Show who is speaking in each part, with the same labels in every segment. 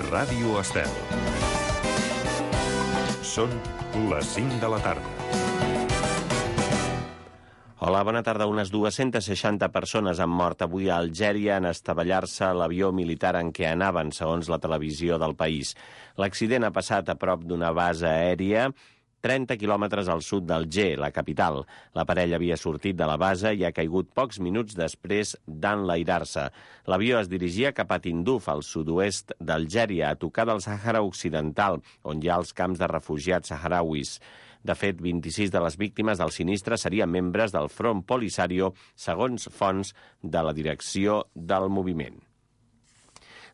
Speaker 1: Ràdio Estel. Són les 5 de la tarda.
Speaker 2: Hola, bona tarda. Unes 260 persones han mort avui a Algèria en estavellar-se l'avió militar en què anaven, segons la televisió del país. L'accident ha passat a prop d'una base aèria 30 quilòmetres al sud d'Alger, la capital. L'aparell havia sortit de la base i ha caigut pocs minuts després d'enlairar-se. L'avió es dirigia cap a Tindouf, al sud-oest d'Algèria, a tocar del Sàhara Occidental, on hi ha els camps de refugiats saharauis. De fet, 26 de les víctimes del sinistre serien membres del Front Polisario, segons fonts de la direcció del moviment.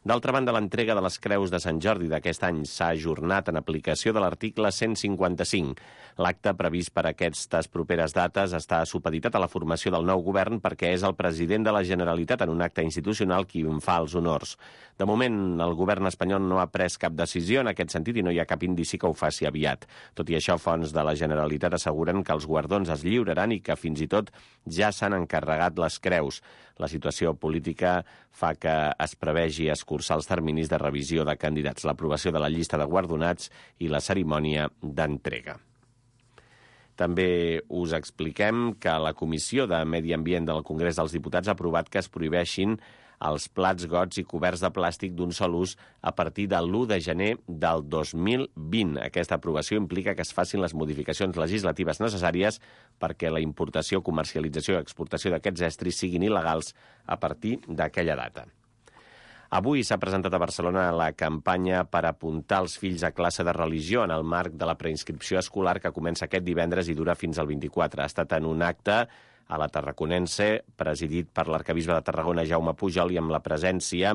Speaker 2: D'altra banda, l'entrega de les creus de Sant Jordi d'aquest any s'ha ajornat en aplicació de l'article 155. L'acte previst per aquestes properes dates està supeditat a la formació del nou govern perquè és el president de la Generalitat en un acte institucional qui en fa els honors. De moment, el govern espanyol no ha pres cap decisió en aquest sentit i no hi ha cap indici que ho faci aviat. Tot i això, fonts de la Generalitat asseguren que els guardons es lliuraran i que fins i tot ja s'han encarregat les creus. La situació política fa que es prevegi escurçar els terminis de revisió de candidats, l'aprovació de la llista de guardonats i la cerimònia d'entrega. També us expliquem que la Comissió de Medi Ambient del Congrés dels Diputats ha aprovat que es prohibeixin els plats, gots i coberts de plàstic d'un sol ús a partir de l'1 de gener del 2020. Aquesta aprovació implica que es facin les modificacions legislatives necessàries perquè la importació, comercialització i exportació d'aquests estris siguin il·legals a partir d'aquella data. Avui s'ha presentat a Barcelona la campanya per apuntar els fills a classe de religió en el marc de la preinscripció escolar que comença aquest divendres i dura fins al 24. Ha estat en un acte a la Tarraconense, presidit per l'arquebisbe de Tarragona, Jaume Pujol, i amb la presència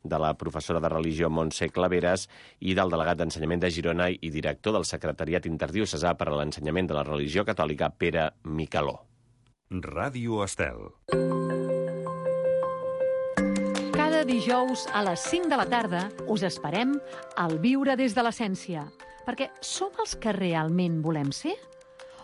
Speaker 2: de la professora de religió Montse Claveres i del delegat d'Ensenyament de Girona i director del Secretariat Interdiocesà per a l'Ensenyament de la Religió Catòlica, Pere Micaló.
Speaker 1: Ràdio Estel.
Speaker 3: Cada dijous a les 5 de la tarda us esperem al Viure des de l'Essència, perquè som els que realment volem ser?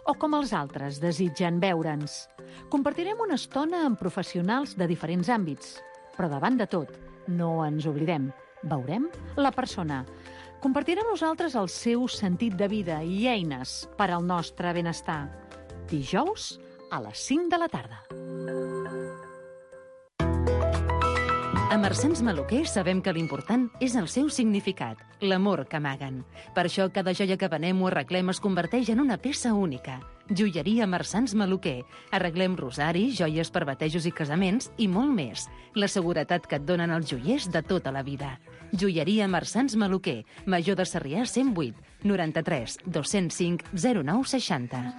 Speaker 3: O com els altres desitgen veure'ns? Compartirem una estona amb professionals de diferents àmbits, però davant de tot, no ens oblidem, veurem la persona. Compartirà amb nosaltres el seu sentit de vida i eines per al nostre benestar. Dijous a les 5 de la tarda.
Speaker 4: A Marsans Maluquer sabem que l'important és el seu significat, l'amor que amaguen. Per això cada joia que venem o arreglem es converteix en una peça única. Joieria Marsans Maluquer. Arreglem rosaris, joies per batejos i casaments i molt més. La seguretat que et donen els joiers de tota la vida. Joieria Marsans Maluquer. Major de Sarrià 108 93 205 0960.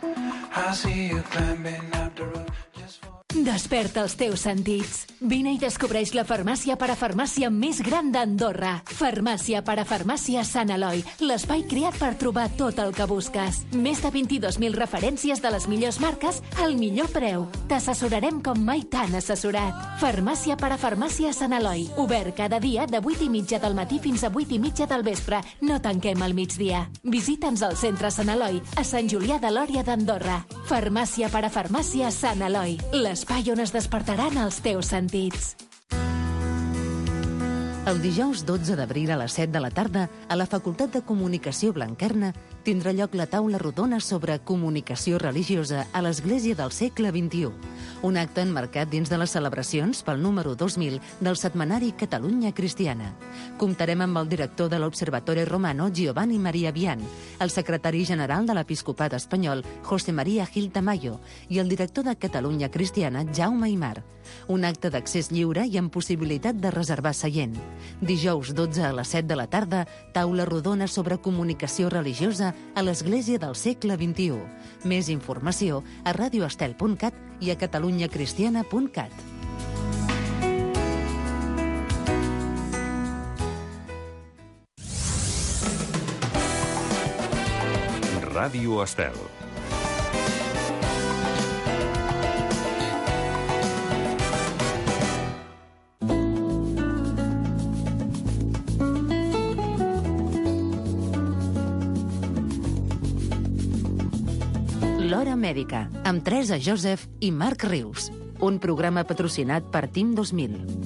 Speaker 5: Desperta els teus sentits. Vine i descobreix la farmàcia parafarmàcia més gran d'Andorra. Farmàcia parafarmàcia Sant Eloi, l'espai creat per trobar tot el que busques. Més de 22.000 referències de les millors marques al millor preu. T'assessorarem com mai t'han assessorat. Farmàcia parafarmàcia Sant Eloi, obert cada dia de 8:30 del matí fins a 8:30 del vespre. No tanquem al migdia. Visita'ns al centre Sant Eloi, a Sant Julià de Lòria d'Andorra. Farmàcia parafarmàcia Sant Eloi, l'espai on es despertaran els teus sentits.
Speaker 4: El dijous 12 d'abril a les 7 de la tarda, a la Facultat de Comunicació Blanquerna, tindrà lloc la taula rodona sobre comunicació religiosa a l'Església del segle XXI. Un acte enmarcat dins de les celebracions pel número 2000 del setmanari Catalunya Cristiana. Comptarem amb el director de l'Observatore Romano, Giovanni Maria Vian, el secretari general de l'Episcopat espanyol, José María Gil Tamayo, i el director de Catalunya Cristiana, Jaume Aymar. Un acte d'accés lliure i amb possibilitat de reservar seient. Dijous 12 a les 7 de la tarda, taula rodona sobre comunicació religiosa a l'Església del segle XXI. Més informació a radioestel.cat i a catalunyacristiana.cat.
Speaker 1: Ràdio Estel.
Speaker 4: L'Hora Mèdica, amb Teresa Joseph i Marc Rius. Un programa patrocinat per Team 2000.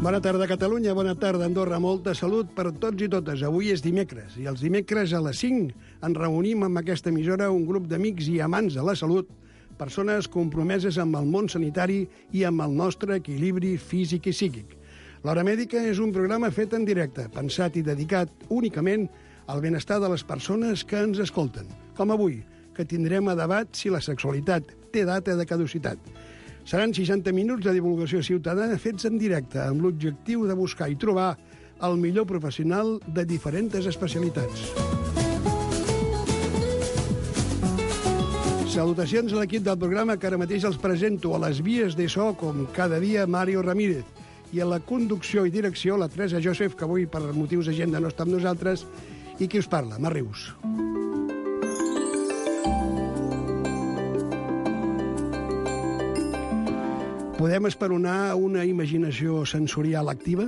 Speaker 6: Bona tarda, Catalunya. Bona tarda, Andorra. Molta salut per tots i totes. Avui és dimecres, i els dimecres a les 5 ens reunim amb aquesta emissora un grup d'amics i amants de la salut, persones compromeses amb el món sanitari i amb el nostre equilibri físic i psíquic. L'Hora Mèdica és un programa fet en directe, pensat i dedicat únicament al benestar de les persones que ens escolten. Com avui, que tindrem a debat si la sexualitat té data de caducitat. Seran 60 minuts de divulgació ciutadana fets en directe, amb l'objectiu de buscar i trobar el millor professional de diferents especialitats. Salutacions a l'equip del programa, que ara mateix els presento a les vies de so, com cada dia, Mario Ramírez, i a la conducció i direcció, la Teresa Joseph, que avui per motius d'agenda no està amb nosaltres, i qui us parla, Mar Rius. Podem esperonar una imaginació sensorial activa?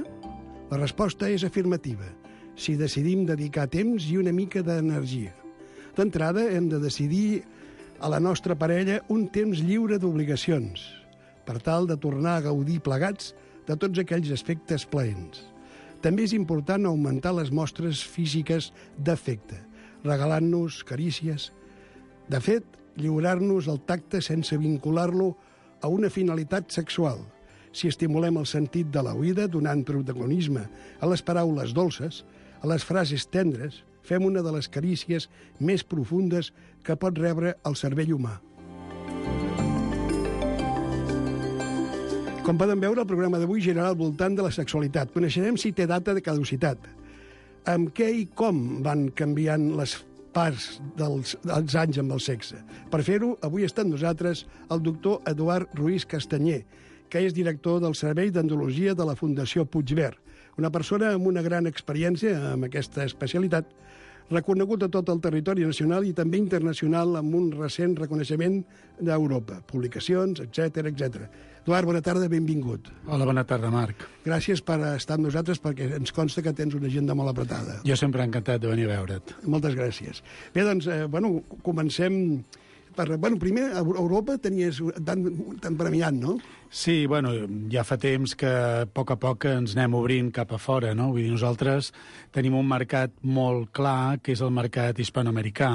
Speaker 6: La resposta és afirmativa, si decidim dedicar temps i una mica d'energia. D'entrada, hem de decidir a la nostra parella un temps lliure d'obligacions, per tal de tornar a gaudir plegats de tots aquells aspectes plaents. També és important augmentar les mostres físiques d'afecte, regalant-nos carícies. De fet, lliurar-nos el tacte sense vincular-lo a una finalitat sexual. Si estimulem el sentit de l'oïda donant protagonisme a les paraules dolces, a les frases tendres, fem una de les carícies més profundes que pot rebre el cervell humà. Com poden veure, el programa d'avui girarà al voltant de la sexualitat. Coneixerem si té data de caducitat, amb què i com van canviant les parts dels anys amb el sexe. Per fer-ho, avui està amb nosaltres el doctor Eduard Ruiz Castanyer, que és director del Servei d'Andrologia de la Fundació Puigverd, una persona amb una gran experiència amb aquesta especialitat, reconegut a tot el territori nacional i també internacional amb un recent reconeixement d'Europa, publicacions, etc etc. Eduard, bona tarda, benvingut.
Speaker 7: Hola, bona tarda, Marc.
Speaker 6: Gràcies per estar amb nosaltres, perquè ens consta que tens una agenda molt apretada.
Speaker 7: Jo sempre he encantat de venir a veure't.
Speaker 6: Moltes gràcies. Bé, doncs, comencem primer, a Europa tenies tan premiat, no?
Speaker 7: Sí, ja fa temps que a poc ens anem obrint cap a fora, no? Vull dir, nosaltres tenim un mercat molt clar, que és el mercat hispanoamericà,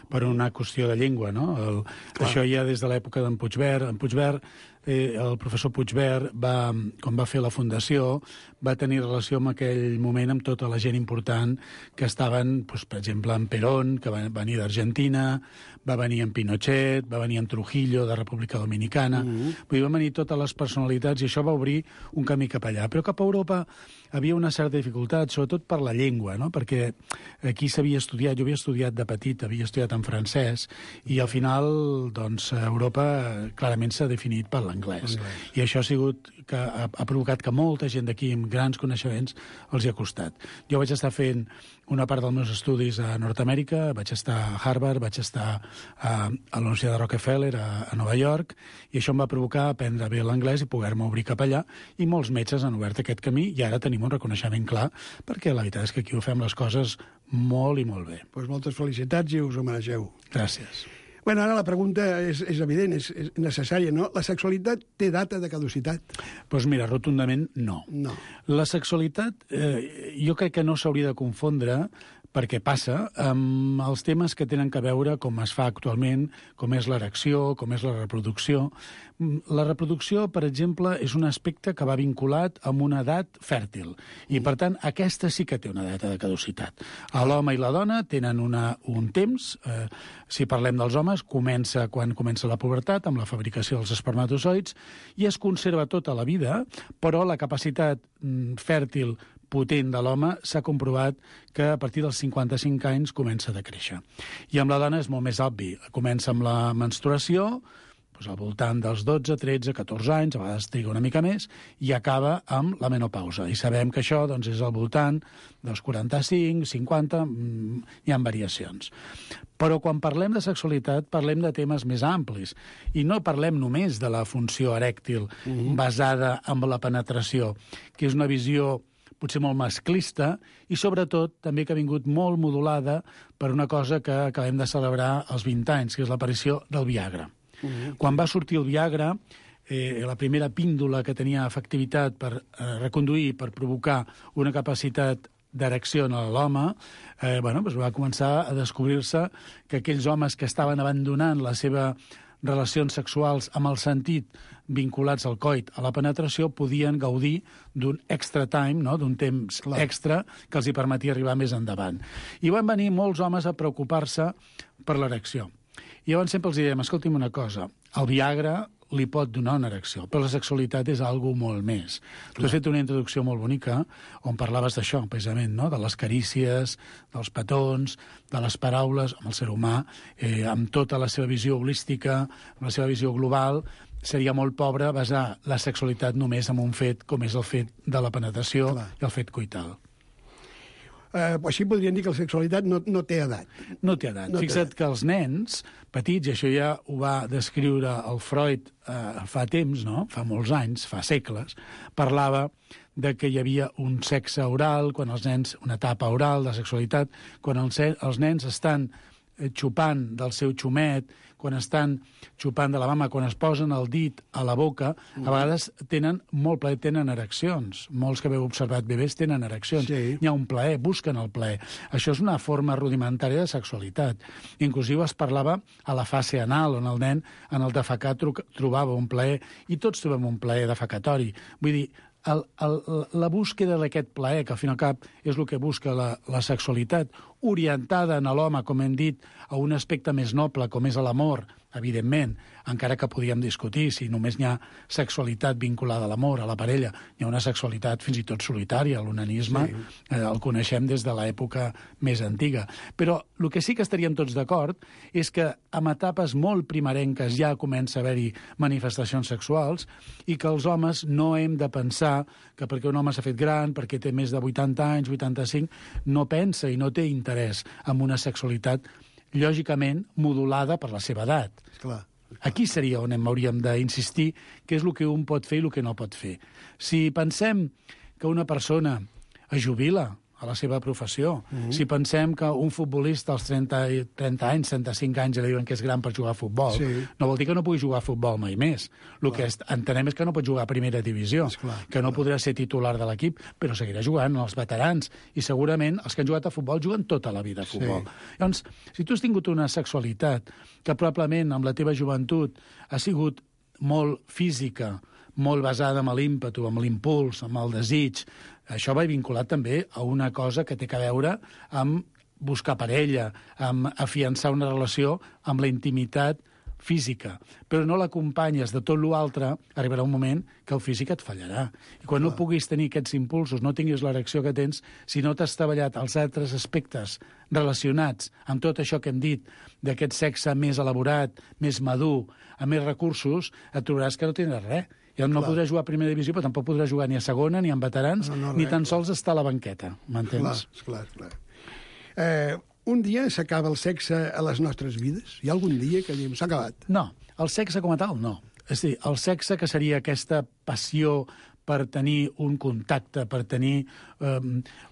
Speaker 7: per una qüestió de llengua, no? Això ja des de l'època d'en Puigverd. En Puigverd, el professor Puigverd, quan va fer la fundació, va tenir relació en aquell moment amb tota la gent important que estaven, per exemple, en Perón, que va venir d'Argentina, va venir en Pinochet, va venir en Trujillo, de República Dominicana. Vull dir, van venir totes les personalitats i això va obrir un camí cap allà. Però cap a Europa havia una certa dificultat, sobretot per la llengua, no? Perquè aquí s'havia estudiat, jo havia estudiat de petit, havia estudiat en francès, i al final, doncs, Europa clarament s'ha definit per l'anglès. I això ha provocat que molta gent d'aquí amb grans coneixements els hi ha costat. Jo vaig estar fent una part dels meus estudis a Nord-Amèrica, vaig estar a Harvard, vaig estar a la Universitat de Rockefeller, a Nova York, i això em va provocar aprendre bé l'anglès i poder-me obrir cap allà, i molts metges han obert aquest camí, i ara tenim un reconeixement clar, perquè la veritat és que aquí ho fem les coses molt i molt bé.
Speaker 6: Doncs moltes felicitats i us ho mereixeu.
Speaker 7: Gràcies.
Speaker 6: Bueno, ara la pregunta és evident, és necessària, no? La sexualitat té data de caducitat?
Speaker 7: Doncs mira, rotundament no.
Speaker 6: No.
Speaker 7: La sexualitat jo crec que no s'hauria de confondre, perquè passa amb els temes que tenen a veure com es fa actualment, com és l'erecció, com és la reproducció. La reproducció, per exemple, és un aspecte que va vinculat amb una edat fèrtil, i per tant aquesta sí que té una data de caducitat. L'home i la dona tenen un temps, si parlem dels homes, comença quan comença la pubertat, amb la fabricació dels espermatozoids, i es conserva tota la vida, però la capacitat fèrtil potent de l'home s'ha comprovat que a partir dels 55 anys comença a decréixer. I amb la dona és molt més obvi. Comença amb la menstruació, al voltant dels 12, 13, 14 anys, a vegades triga una mica més, i acaba amb la menopausa. I sabem que això és al voltant dels 45, 50, hi ha variacions. Però quan parlem de sexualitat parlem de temes més amplis, i no parlem només de la funció erèctil basada en la penetració, que és una visió potser molt masclista, i sobretot també que ha vingut molt modulada per una cosa que acabem de celebrar als 20 anys, que és l'aparició del Viagra. Quan va sortir el Viagra, la primera píndola que tenia efectivitat per reconduir, per provocar una capacitat d'erecció en l'home, va començar a descobrir-se que aquells homes que estaven abandonant les seves relacions sexuals amb el sentit vinculats al coit, a la penetració, podien gaudir d'un extra time, no? D'un temps extra que els hi permetia arribar més endavant. I van venir molts homes a preocupar-se per l'erecció. I llavors sempre els diem, escolti'm una cosa, el Viagra li pot donar una erecció, però la sexualitat és algo molt més. Tu has fet una introducció molt bonica on parlaves d'això, precisament, no? De les carícies, dels petons, de les paraules, amb el ser humà, amb tota la seva visió holística, amb la seva visió global. Seria molt pobre basar la sexualitat només en un fet com és el fet de la penetració i el fet coital.
Speaker 6: Així podríem dir que la sexualitat no té edat.
Speaker 7: No té edat. Fixa't que els nens petits, i això ja ho va descriure el Freud fa temps, no? Fa molts anys, fa segles, parlava de que hi havia un sexe oral, quan els nens, una etapa oral de sexualitat, quan els nens estan xupant del seu xumet, quan estan xupant de la mama, quan es posen el dit a la boca, a vegades tenen molt plaer, tenen ereccions. Molts que haveu observat bebès tenen ereccions.
Speaker 6: Sí.
Speaker 7: Hi ha un plaer, busquen el plaer. Això és una forma rudimentària de sexualitat. Inclusive es parlava a la fase anal, on el nen en el defecar trobava un plaer, i tots trobem un plaer defecatori. Vull dir, la búsqueda d'aquest plaer, que al fin i al cap és el que busca la sexualitat, orientada en l'home, com hem dit, a un aspecte més noble, com és l'amor, evidentment, encara que podíem discutir si només n'hi ha sexualitat vinculada a l'amor, a la parella, hi ha una sexualitat fins i tot solitària, l'onanisme el coneixem des de l'època més antiga. Però el que sí que estaríem tots d'acord és que en etapes molt primerenques ja comença a haver-hi manifestacions sexuals i que els homes no hem de pensar que perquè un home s'ha fet gran, perquè té més de 80 anys, 85, no pensa i no té interès en una sexualitat lògicament modulada per la seva edat.
Speaker 6: Clar.
Speaker 7: Aquí seria on hauríem d'insistir què és el que un pot fer i el que no pot fer. Si pensem que una persona es jubila a la seva professió, si pensem que un futbolista als 30 anys, 35 anys, li diuen que és gran per jugar a futbol, no vol dir que no pugui jugar a futbol mai més. El que entenem és que no pot jugar a primera divisió, que no podrà ser titular de l'equip, però seguirà jugant els veterans, i segurament els que han jugat a futbol juguen tota la vida a futbol. Llavors, si tu has tingut una sexualitat que probablement amb la teva joventut ha sigut molt física, molt basada en l'ímpetu, amb l'impuls, amb el desig, això va vinculat també a una cosa que té a veure amb buscar parella, amb afiançar una relació amb la intimitat física, però no l'acompanyes de tot l'altre, arribarà un moment que el físic et fallarà. I quan no puguis tenir aquests impulsos, no tinguis l'erecció que tens, si no t'has treballat els altres aspectes relacionats amb tot això que hem dit, d'aquest sexe més elaborat, més madur, amb més recursos, et trobaràs que no tindràs res. Ja no podrà jugar a primera divisió, però tampoc podrà jugar ni a segona, ni en veterans, ni tan sols estar a la banqueta. M'entens?
Speaker 6: Clar. Un dia s'acaba el sexe a les nostres vides? Hi ha algun dia que diem s'ha acabat?
Speaker 7: No, el sexe com a tal, no. És a dir, el sexe que seria aquesta passió per tenir un contacte, per tenir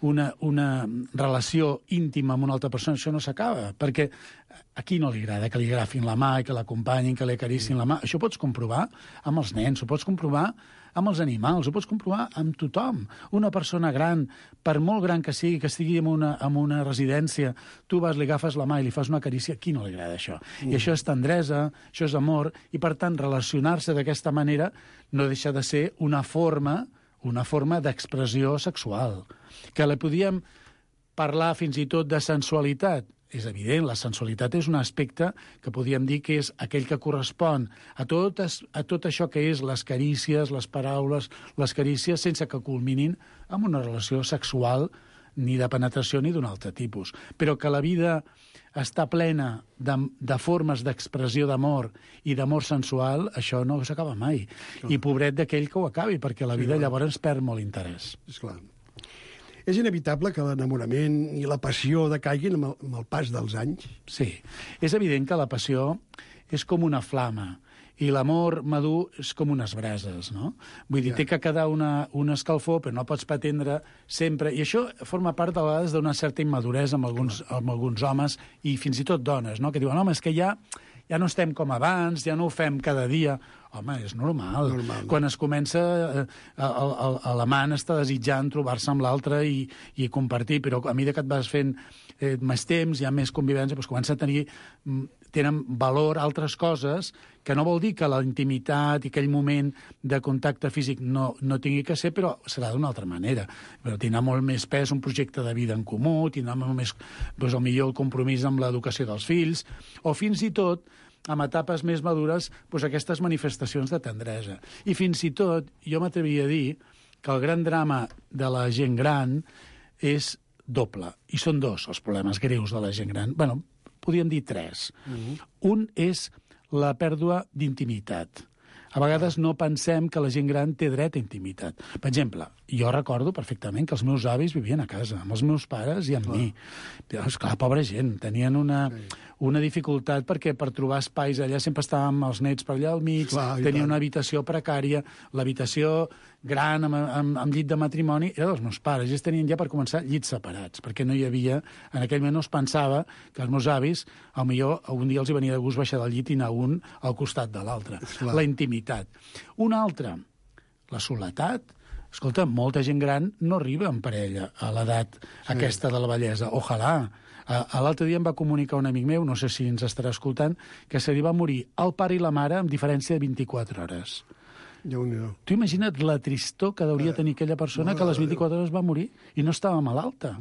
Speaker 7: una relació íntima amb una altra persona, això no s'acaba, perquè a qui no li agrada que li agafin la mà i que l'acompanyin, que li acaricin la mà? Això ho pots comprovar amb els nens, ho pots comprovar amb els animals, ho pots comprovar amb tothom. Una persona gran, per molt gran que sigui, que estigui en una residència, tu vas, li agafes la mà i li fas una carícia, a qui no li agrada això? I això és tendresa, això és amor, i per tant relacionar-se d'aquesta manera no deixa de ser una forma d'expressió sexual. Que la podíem parlar fins i tot de sensualitat. És evident, la sensualitat és un aspecte que podríem dir que és aquell que correspon a tot això que és les carícies, les paraules, les carícies, sense que culminin amb una relació sexual ni de penetració ni d'un altre tipus. Però que la vida està plena de formes d'expressió d'amor i d'amor sensual, això no s'acaba mai. I pobret d'aquell que ho acabi, perquè la vida llavors perd molt interès.
Speaker 6: Esclar. És inevitable que l'enamorament i la passió decaiguin amb el pas dels anys?
Speaker 7: Sí. És evident que la passió és com una flama i l'amor madur és com unes brases, no? Vull dir, té que quedar una escalfor, però no pots pretendre sempre... I això forma part, a vegades, d'una certa immaduresa amb alguns homes i fins i tot dones, no? Que diuen, home, és que ja ja no estem com abans, ja no ho fem cada dia. Home, és normal. Quan es comença, l'amant està desitjant trobar-se amb l'altre i compartir, però a mesura que et vas fent més temps, hi ha més convivència, doncs comença a tenen valor altres coses, que no vol dir que la intimitat i aquell moment de contacte físic no tingui que ser, però serà d'una altra manera. Però tindrà molt més pes un projecte de vida en comú, tindrà molt més, doncs, millor el compromís amb l'educació dels fills, o fins i tot, amb etapes més madures, doncs, aquestes manifestacions de tendresa. I fins i tot, jo m'atreviria a dir que el gran drama de la gent gran és doble, i són dos els problemes greus de la gent gran. Bueno, podríem dir tres. Un és la pèrdua d'intimitat. A vegades no pensem que la gent gran té dret a intimitat. Per exemple, jo recordo perfectament que els meus avis vivien a casa, amb els meus pares i amb mi. Esclar, pobra gent, tenien una dificultat perquè per trobar espais allà sempre estàvem els nets per allà al mig, tenia una habitació precària, l'habitació gran amb llit de matrimoni era dels meus pares, ells tenien ja per començar llits separats, perquè no hi havia, en aquell moment no es pensava que els meus avis, potser un dia els hi venia de gust baixar del llit i anar un al costat de l'altre. La intimitat. Una altra, la soledat. Escolta, molta gent gran no arriba en parella a l'edat aquesta de la vellesa. Ojalà. L'altre dia em va comunicar un amic meu, no sé si ens estarà escoltant, que se li va morir el pare i la mare amb diferència de 24 hores. Tu imagina't la tristor que hauria tenir aquella persona que a les 24 hores va morir i no estava malalta,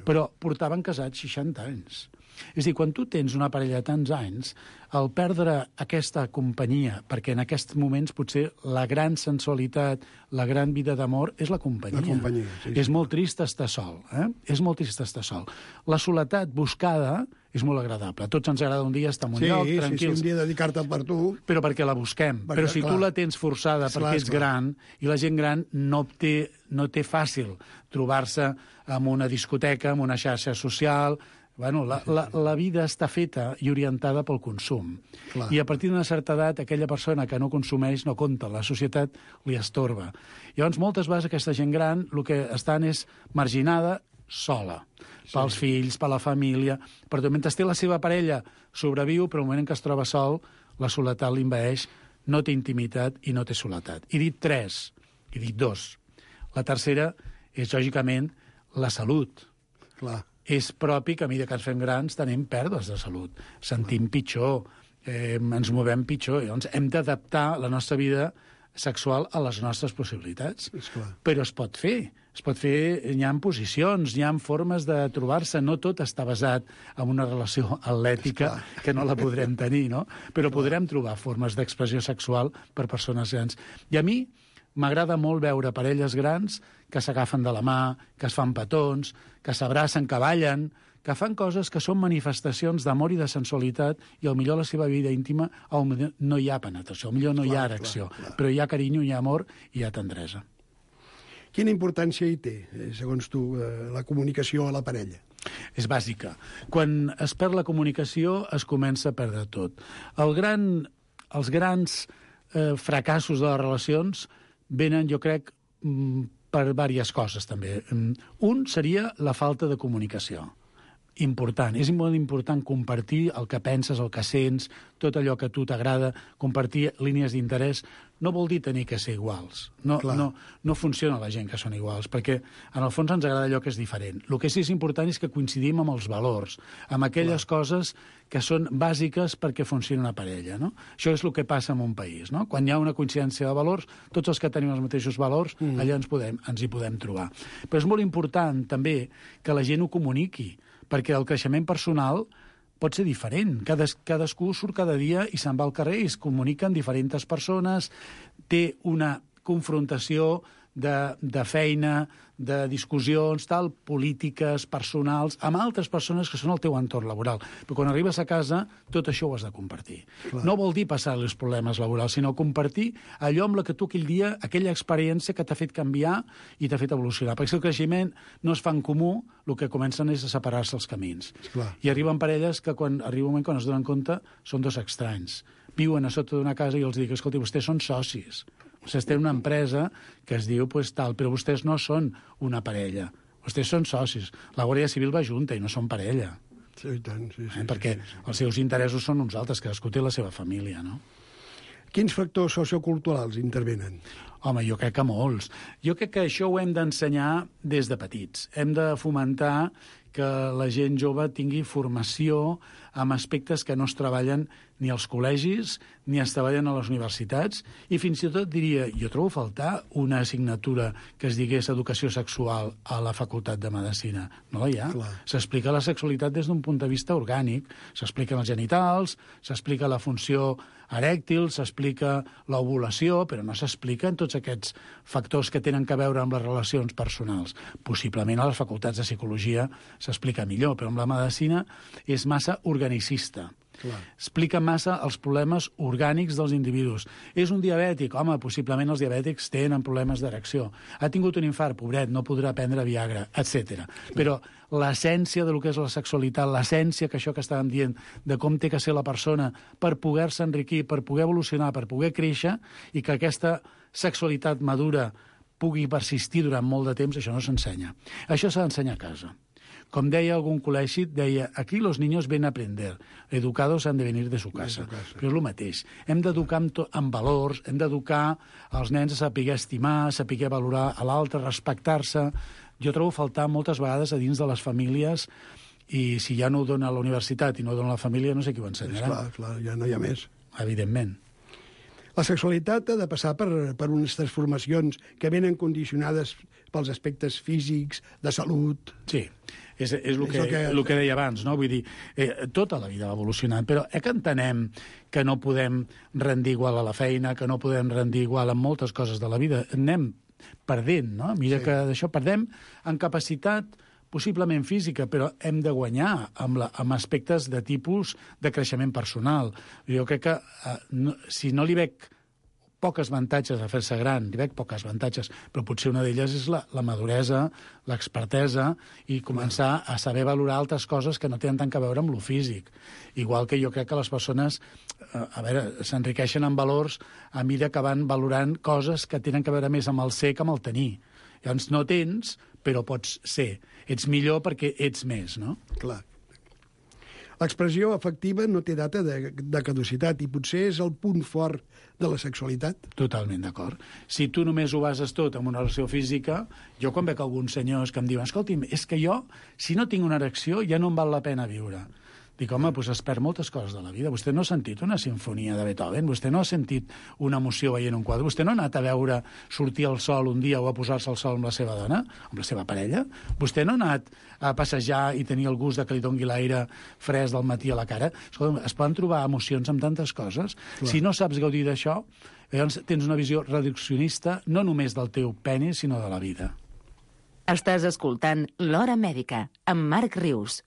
Speaker 7: però portaven casats 60 anys. És a dir, quan tu tens una parella de tants anys, al perdre aquesta companyia, perquè en aquests moments potser la gran sensualitat, la gran vida d'amor és la companyia.
Speaker 6: La companyia, sí.
Speaker 7: És molt trist estar sol, És molt trist estar sol. La soledat buscada és molt agradable. A tots ens agrada un dia estar en un lloc, tranquils.
Speaker 6: Sí, un dia dedicar-te per tu.
Speaker 7: Però perquè la busquem. Però si tu la tens forçada perquè és gran, i la gent gran no té fàcil trobar-se en una discoteca, en una xarxa social. Bueno, la vida està feta i orientada pel consum. I a partir d'una certa edat, aquella persona que no consumeix no compta, la societat li estorba. Llavors, moltes vegades aquesta gent gran el que estan és marginada, sola, pels fills, per la família, però mentre té la seva parella sobreviu, però al moment en què es troba sol, la soledat l'invaeix, no té intimitat i no té soledat. He dit tres, he dit dos. La tercera és, lògicament, la salut.
Speaker 6: Clar.
Speaker 7: És propi que a mesura que ens fem grans tenim pèrdues de salut, sentim pitjor, ens movem pitjor, llavors hem d'adaptar la nostra vida sexual a les nostres possibilitats. Però es pot fer, hi ha posicions, hi ha formes de trobar-se, no tot està basat en una relació atlètica que no la podrem tenir, no? Però podrem trobar formes d'expressió sexual per persones grans. I a mi m'agrada molt veure parelles grans que s'agafen de la mà, que es fan petons, que s'abracen, que ballen, que fan coses que són manifestacions d'amor i de sensualitat i potser a la seva vida íntima no hi ha penetració, potser no hi ha erecció, però hi ha carinyo, hi ha amor i hi ha tendresa.
Speaker 6: Quina importància hi té, segons tu, la comunicació a la parella?
Speaker 7: És bàsica. Quan es perd la comunicació es comença a perdre tot. Els grans fracassos de les relacions venen, jo crec, per diverses coses, també. Un seria la falta de comunicació. Important. És molt important compartir el que penses, el que sents, tot allò que a tu t'agrada, compartir línies d'interès. No vol dir tenir que ser iguals. No funciona la gent que són iguals, perquè en el fons ens agrada allò que és diferent. El que sí que és important és que coincidim amb els valors, amb aquelles coses que són bàsiques perquè funcioni una parella. No? Això és el que passa en un país. No? Quan hi ha una coincidència de valors, tots els que tenim els mateixos valors, allà ens hi podem trobar. Però és molt important també que la gent ho comuniqui, perquè el creixement personal pot ser diferent. Cadascú surt cada dia i se'n va al carrer i es comunica amb diferents persones, té una confrontació de feina, de discussions, polítiques, personals, amb altres persones que són al teu entorn laboral. Però quan arribes a casa, tot això ho has de compartir. No vol dir passar els problemes laborals, sinó compartir allò amb la que tu aquell dia, aquella experiència que t'ha fet canviar i t'ha fet evolucionar. Perquè si el creixement no es fa en comú, el que comencen és a separar-se els camins. I arriben parelles que arriba un moment quan es donen compte són dos estranys. Viuen a sota d'una casa i els dic, escolti, vostès són socis. Vostès tenen una empresa que es diu tal, però vostès no són una parella. Vostès són socis. La Guàrdia Civil va junta i no són parella.
Speaker 6: Sí, i tant, sí.
Speaker 7: Perquè els seus interessos són uns altres, cadascú té la seva família, no?
Speaker 6: Quins factors socioculturals intervenen?
Speaker 7: Home, jo crec que molts. Jo crec que això ho hem d'ensenyar des de petits. Hem de fomentar que la gent jove tingui formació amb aspectes que no es treballen ni als col·legis ni es treballen a les universitats, i fins i tot diria, jo trobo a faltar una assignatura que es digués educació sexual a la Facultat de Medicina. No la hi ha. S'explica la sexualitat des d'un punt de vista orgànic, s'expliquen els genitals, s'explica la funció erèctil, s'explica l'ovulació, però no s'expliquen tots aquests factors que tenen a veure amb les relacions personals. Possiblement a les facultats de psicologia s'explica millor, però amb la medicina és massa organicista. Explica massa els problemes orgànics dels individus. És un diabètic? Home, possiblement els diabètics tenen problemes d'erecció. Ha tingut un infart? Pobret, no podrà prendre Viagra, etc. Però l'essència del que és la sexualitat, l'essència que això que estàvem dient, de com té que ser la persona per poder-se enriquir, per poder evolucionar, per poder créixer, i que aquesta sexualitat madura pugui persistir durant molt de temps, això no s'ensenya. Això s'ha d'ensenyar a casa. Com deia algun col·legi, deia, aquí los niños ven a aprender, educados han de venir de su casa. Però és el mateix. Hem d'educar amb valors, hem d'educar els nens a saber estimar, a saber valorar a l'altre, respectar-se. Jo trobo a faltar moltes vegades a dins de les famílies, i si ja no ho dona a la universitat i no ho dona a la família, no sé qui ho ensenyarà.
Speaker 6: Clar, ja no hi ha més.
Speaker 7: Evidentment.
Speaker 6: La sexualitat ha de passar per unes transformacions que venen condicionades pels aspectes físics, de salut.
Speaker 7: Sí, és el que deia abans, no? Vull dir, tota la vida ha evolucionat, però que entenem que no podem rendir igual a la feina, que no podem rendir igual en moltes coses de la vida. Anem perdent, no? Mira que d'això perdem en capacitat possiblement física, però hem de guanyar amb aspectes de tipus de creixement personal. Jo crec que si no li veig poques avantatges a fer-se gran, li veig poques avantatges, però potser una d'elles és la maduresa, l'expertesa, i començar a saber valorar altres coses que no tenen tant a veure amb lo físic. Igual que jo crec que les persones s'enriqueixen en valors a mesura que van valorant coses que tenen a veure més amb el ser que amb el tenir. Llavors no tens, però pots ser. Ets millor perquè ets més, no?
Speaker 6: Clar. L'expressió afectiva no té data de caducitat i potser és el punt fort de la sexualitat.
Speaker 7: Totalment d'acord. Si tu només ho bases tot en una relació física, jo quan veig alguns senyors que em diuen, escolti'm, és que jo, si no tinc una erecció, ja no em val la pena viure. Dic, home, doncs es perd moltes coses de la vida. Vostè no ha sentit una sinfonia de Beethoven, vostè no ha sentit una emoció veient un quadre, vostè no ha anat a veure sortir el sol un dia o a posar-se al sol amb la seva dona, amb la seva parella, vostè no ha anat a passejar i tenir el gust de que li dongui l'aire fresc del matí a la cara. Escolta, es poden trobar emocions amb tantes coses. Clar. Si no saps gaudir d'això, llavors tens una visió reduccionista no només del teu peni, sinó de la vida.
Speaker 4: Estàs escoltant L'Hora Mèdica, amb Marc Rius.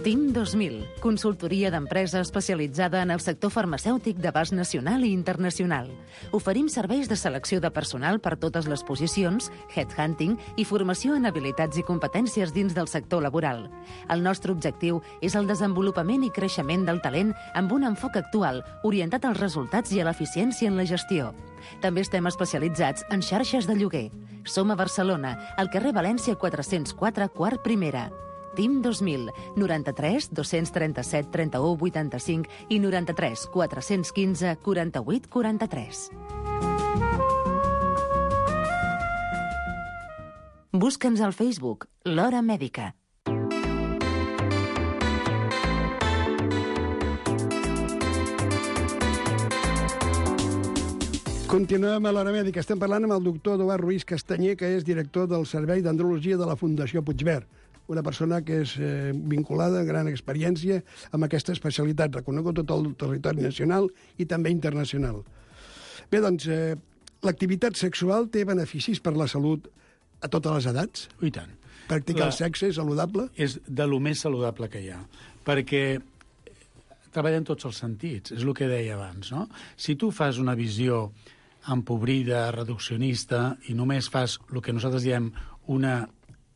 Speaker 4: TIM 2000, consultoria d'empresa especialitzada en el sector farmacèutic d'abast nacional i internacional. Oferim serveis de selecció de personal per totes les posicions, headhunting i formació en habilitats i competències dins del sector laboral. El nostre objectiu és el desenvolupament i creixement del talent amb un enfoc actual, orientat als resultats i a l'eficiència en la gestió. També estem especialitzats en xarxes de lloguer. Som a Barcelona, al carrer València 404, quart primera. TIM 2000, 93 237 31 85 i 93 415 48 43. Busca'ns al Facebook, L'Hora Mèdica.
Speaker 6: Continuem a l'Hora Mèdica. Estem parlant amb el doctor Eduard Ruiz Castanyer, que és director del Servei d'Andrologia de la Fundació Puigverd. Una persona que és vinculada, gran experiència, amb aquesta especialitat, reconegut tot el territori nacional i també internacional. Bé, doncs, l'activitat sexual té beneficis per la salut a totes les edats?
Speaker 7: I tant.
Speaker 6: Practicar el sexe és saludable?
Speaker 7: És de lo més saludable que hi ha, perquè treballa en tots els sentits, és el que deia abans, no? Si tu fas una visió empobrida, reduccionista, i només fas el que nosaltres diem una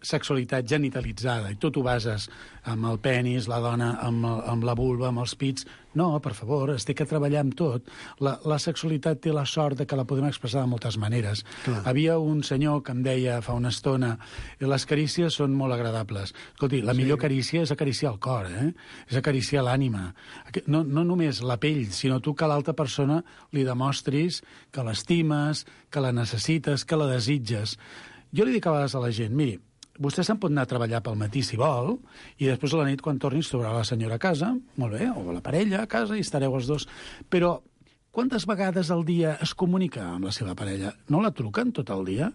Speaker 7: sexualitat genitalitzada, i tot ho bases amb el penis, la dona, amb la vulva, amb els pits. No, per favor, es té que treballar amb tot. La sexualitat té la sort de que la podem expressar de moltes maneres. Clar. Havia un senyor que em deia fa una estona les carícies són molt agradables. Escolti, la millor carícia és acariciar el cor, és acariciar l'ànima. No només la pell, sinó tu que a l'altra persona li demostris que l'estimes, que la necessites, que la desitges. Jo li dic a vegades a la gent, miri, vostè se'n pot anar a treballar pel matí si vol, i després a la nit, quan tornis, trobarà la senyora a casa, molt bé, o la parella a casa, i estareu els dos. Però quantes vegades al dia es comunica amb la seva parella? No la truquen tot el dia?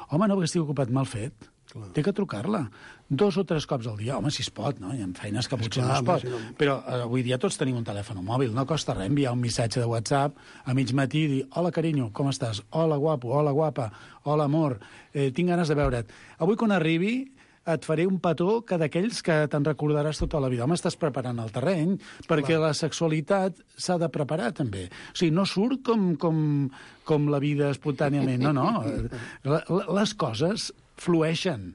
Speaker 7: Home, no, perquè estic ocupat, mal fet. Clar. Té que trucar-la 2 o 3 cops al dia. Home, si es pot, no? Hi ha feines que potser no es pot. Si no... Però avui dia tots tenim un telèfon mòbil. No costa res enviar un missatge de WhatsApp a mig matí i dir hola, carinyo, com estàs? Hola, guapo, hola, guapa, hola, amor, tinc ganes de veure't. Avui, quan arribi, et faré un petó que d'aquells que te'n recordaràs tota la vida. Home, estàs preparant el terreny, perquè la sexualitat s'ha de preparar, també. O sigui, no surt com la vida espontàniament. No. Les coses flueixen,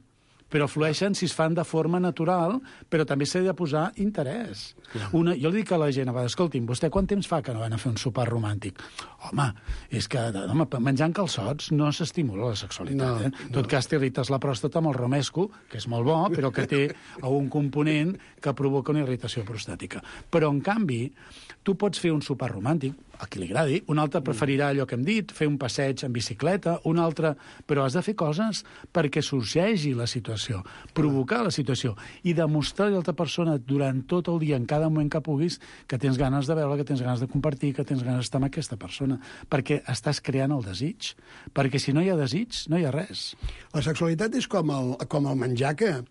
Speaker 7: però flueixen si es fan de forma natural, però també s'ha de posar interès. Jo li dic a la gent, escolti'm, vostè quant temps fa que no van a fer un sopar romàntic? Home, és que menjant calçots no s'estimula la sexualitat. En tot cas, t'irrites la pròstata amb el romesco, que és molt bo, però que té un component que provoca una irritació prostàtica. Però, en canvi, tu pots fer un sopar romàntic, a qui li agradi, un altre preferirà allò que hem dit, fer un passeig en bicicleta, un altre... Però has de fer coses perquè sorgeixi la situació, provocar la situació, i demostrar a l'altra persona durant tot el dia, en cada moment que puguis, que tens ganes de veure, que tens ganes de compartir, que tens ganes d'estar amb aquesta persona, perquè estàs creant el desig. Perquè si no hi ha desig, no hi ha res.
Speaker 6: La sexualitat és com el menjar, que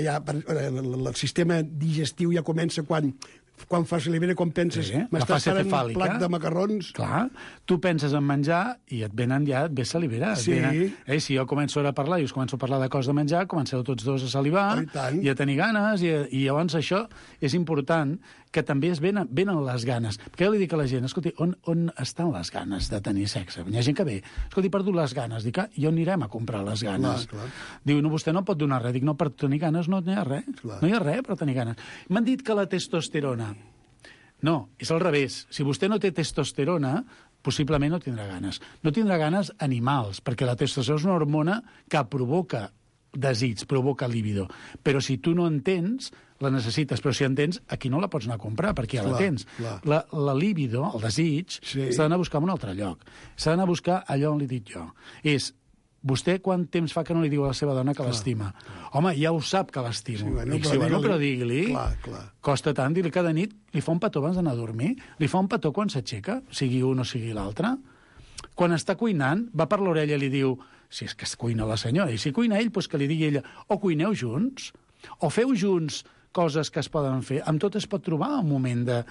Speaker 6: ja el sistema digestiu ja comença quan fas l'hivern, com penses, m'estàs parant un plat de macarrons... Clar,
Speaker 7: tu penses en menjar i et ve salivar.
Speaker 6: Sí.
Speaker 7: Si jo començo ara a parlar i us començo a parlar de coses de menjar, comenceu tots dos a salivar i a tenir ganes, i llavors això és important, que també venen les ganes. Perquè jo li dic a la gent, escolti, on estan les ganes de tenir sexe? Hi ha gent que ve, escolti, he perdut les ganes. Dic, i on anirem a comprar les ganes?
Speaker 6: Clar.
Speaker 7: Diu, no, vostè no pot donar res. Dic, no, per tenir ganes no hi ha res. Clar. No hi ha res per tenir ganes. M'han dit que la testosterona... No, és al revés. Si vostè no té testosterona, possiblement no tindrà ganes. No tindrà ganes animals, perquè la testosterona és una hormona que provoca desig, provoca líbido. Però si tu no en tens, la necessites. Però si en tens, aquí no la pots anar a comprar, perquè ja la tens. La líbido, el desig, s'ha d'anar a buscar en un altre lloc. S'ha d'anar a buscar allò on li dic jo. És... Vostè quant temps fa que no li diu a la seva dona que l'estima? Home, ja ho sap que l'estimo. Però digui-li. Costa tant, dir-li cada nit, li fa un petó abans d'anar a dormir, li fa un petó quan s'aixeca, sigui un o sigui l'altre. Quan està cuinant, va per l'orella i li diu, si és que es cuina la senyora, i si cuina ell, doncs que li digui ella, o cuineu junts, o feu junts coses que es poden fer. Amb tot es pot trobar un moment de...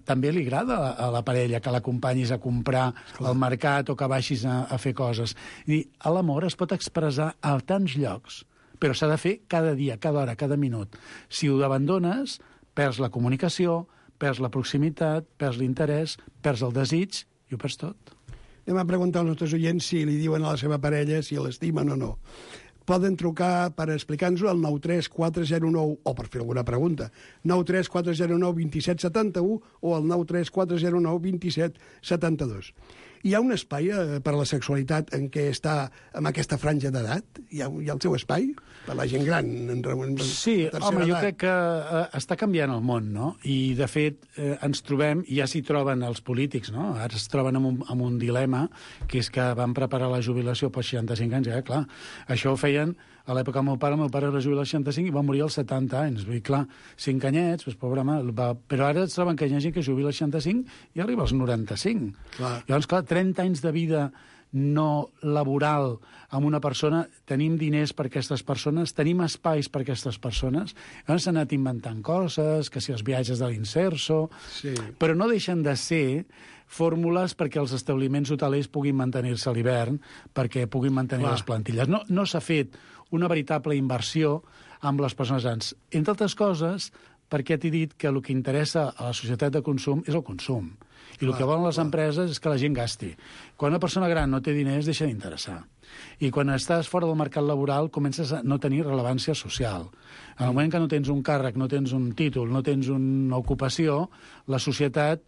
Speaker 7: També li agrada a la parella que l'acompanyis a comprar al mercat o que baixis a fer coses. I l'amor es pot expressar a tants llocs, però s'ha de fer cada dia, cada hora, cada minut. Si ho abandones, perds la comunicació, perds la proximitat, perds l'interès, perds el desig i ho perds tot.
Speaker 6: Anem a preguntar als nostres oients si li diuen a la seva parella si l'estimen o no. Poden trucar per explicar-nos-ho al 93409, o per fer alguna pregunta, 93409-2771 o al 93409-2772. Hi ha un espai per a la sexualitat en què està amb aquesta franja d'edat? Hi ha el seu espai? Per la gent gran?
Speaker 7: Sí, home, jo crec que està canviant el món, no? I, de fet, ens trobem, i ja s'hi troben els polítics, no? Ara es troben amb un dilema, que és que van preparar la jubilació pels 65 anys, clar. Això ho feien a l'època del meu pare es va jubilar als 65 i va morir als 70 anys. Vull dir, clar, 5 anyets, doncs, pobre home, però ara es troben que hi ha gent que jubila als 65 i arriba als 95. Clar. Llavors, clar, 30 anys de vida no laboral amb una persona, tenim diners per aquestes persones, tenim espais per aquestes persones, llavors s'han anat inventant coses, que si els viatges de l'Inserso, però no deixen de ser fórmules perquè els establiments hotelers puguin mantenir-se a l'hivern, perquè puguin mantenir les plantilles. No s'ha fet una veritable inversió amb les persones grans. Entre altres coses, perquè t'he dit que el que interessa a la societat de consum és el consum. I el que volen les empreses és que la gent gasti. Quan una persona gran no té diners, deixa d'interessar. I quan estàs fora del mercat laboral comences a no tenir rellevància social. En el moment que no tens un càrrec, no tens un títol, no tens una ocupació, la societat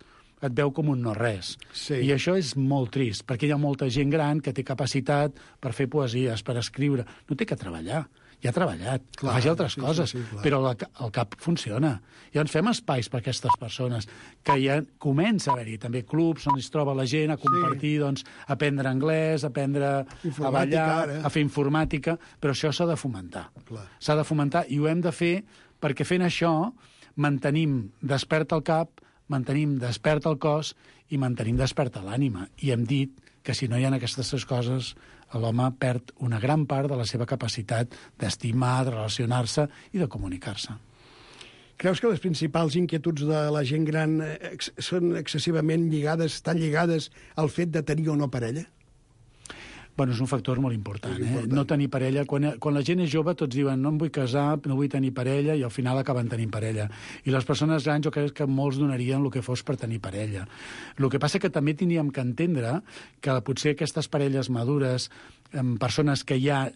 Speaker 7: et veu com un no-res.
Speaker 6: Sí.
Speaker 7: I això és molt trist, perquè hi ha molta gent gran que té capacitat per fer poesies, per escriure. No té que treballar. Ja ha treballat,
Speaker 6: Clar,
Speaker 7: faci altres coses,
Speaker 6: clar.
Speaker 7: però el cap funciona. I ens fem espais per a aquestes persones, que ja comença a haver-hi també clubs on es troba la gent a compartir, doncs, aprendre anglès, aprendre a ballar, a fer informàtica, però això s'ha de fomentar.
Speaker 6: Clar.
Speaker 7: S'ha de fomentar i ho hem de fer perquè fent això mantenim despert el cap, mantenim despert el cos i mantenim desperta l'ànima. I hem dit que si no hi ha aquestes tres coses, l'home perd una gran part de la seva capacitat d'estimar, de relacionar-se i de comunicar-se.
Speaker 6: Creus que les principals inquietuds de la gent gran són excessivament lligades, tan lligades al fet de tenir o no parella?
Speaker 7: Bueno, és un factor molt important. No tenir parella. Quan la gent és jove, tots diuen no em vull casar, no vull tenir parella, i al final acaben tenint parella. I les persones grans, jo crec que molts donarien el que fos per tenir parella. El que passa que també tindríem que entendre que potser aquestes parelles madures, persones que ja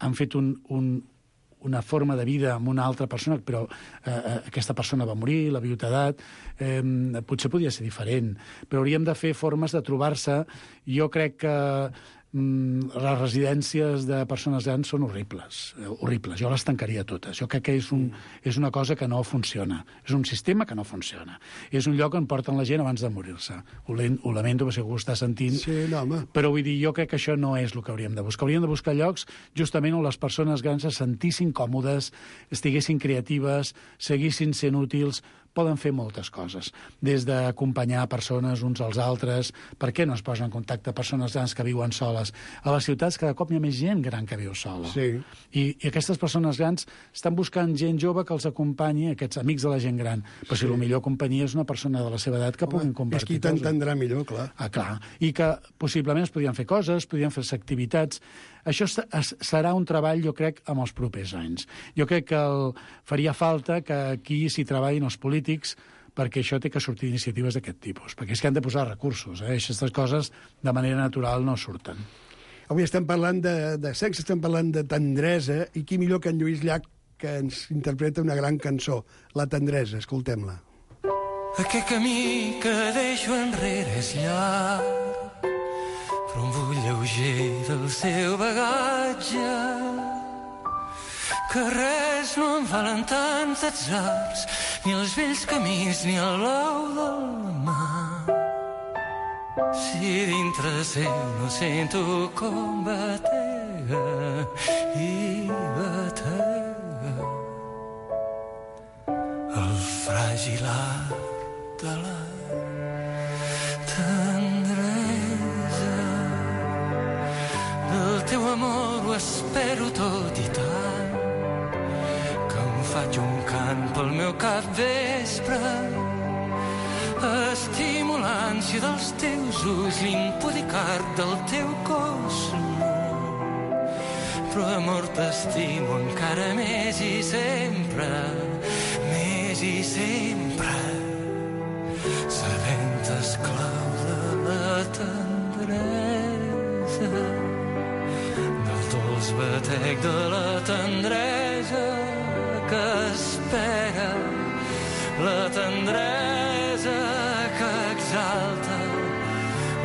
Speaker 7: han fet una forma de vida amb una altra persona, però aquesta persona va morir, la viudetat, potser podia ser diferent. Però hauríem de fer formes de trobar-se. Jo crec que les residències de persones grans són horribles. Jo les tancaria totes. Jo crec que és una cosa que no funciona. És un sistema que no funciona. És un lloc on porten la gent abans de morir-se. Ho lamento, perquè segur que ho està sentint.
Speaker 6: Sí, no, home.
Speaker 7: Però vull dir, jo crec que això no és el que hauríem de buscar. Hauríem de buscar llocs justament on les persones grans se sentissin còmodes, estiguessin creatives, seguissin sent útils. Poden fer moltes coses, des d'acompanyar persones uns als altres. Per què no es posen en contacte persones grans que viuen soles? A les ciutats cada cop hi ha més gent gran que viu sola.
Speaker 6: Sí.
Speaker 7: I aquestes persones grans estan buscant gent jove que els acompanyi, aquests amics de la gent gran. Però si la millor companyia és una persona de la seva edat que puguin compartir
Speaker 6: coses. És qui t'entendrà millor, clar.
Speaker 7: Clar. I que possiblement es podrien fer coses, podrien fer activitats. Això serà un treball, jo crec, amb els propers anys. Jo crec que faria falta que aquí s'hi treballin els polítics, perquè això té que sortir iniciatives d'aquest tipus, perquè és que han de posar recursos. Aquestes coses de manera natural no surten.
Speaker 6: Avui estem parlant de sexe, estem parlant de tendresa, i qui millor que en Lluís Llach, que ens interpreta una gran cançó, La tendresa. Escoltem-la.
Speaker 8: Aquest camí que deixo enrere és llarg, però un bull lleuger del seu bagatge, que res no em valen tants atzars, ni els vells camins ni el blau del mar. Si dintre seu no sento com batega i batega el fràgil art de la tendresa. Del teu amor ho espero tot i tant, que em faig un cant pel meu capvespre. Estimo l'ànsia dels teus ulls, l'impúdic art del teu cos. Però amor t'estimo encara més i sempre, més i sempre. Sabent esclau de la tendresa, del dolç batec de la tendresa que espera, la tendresa que exalta,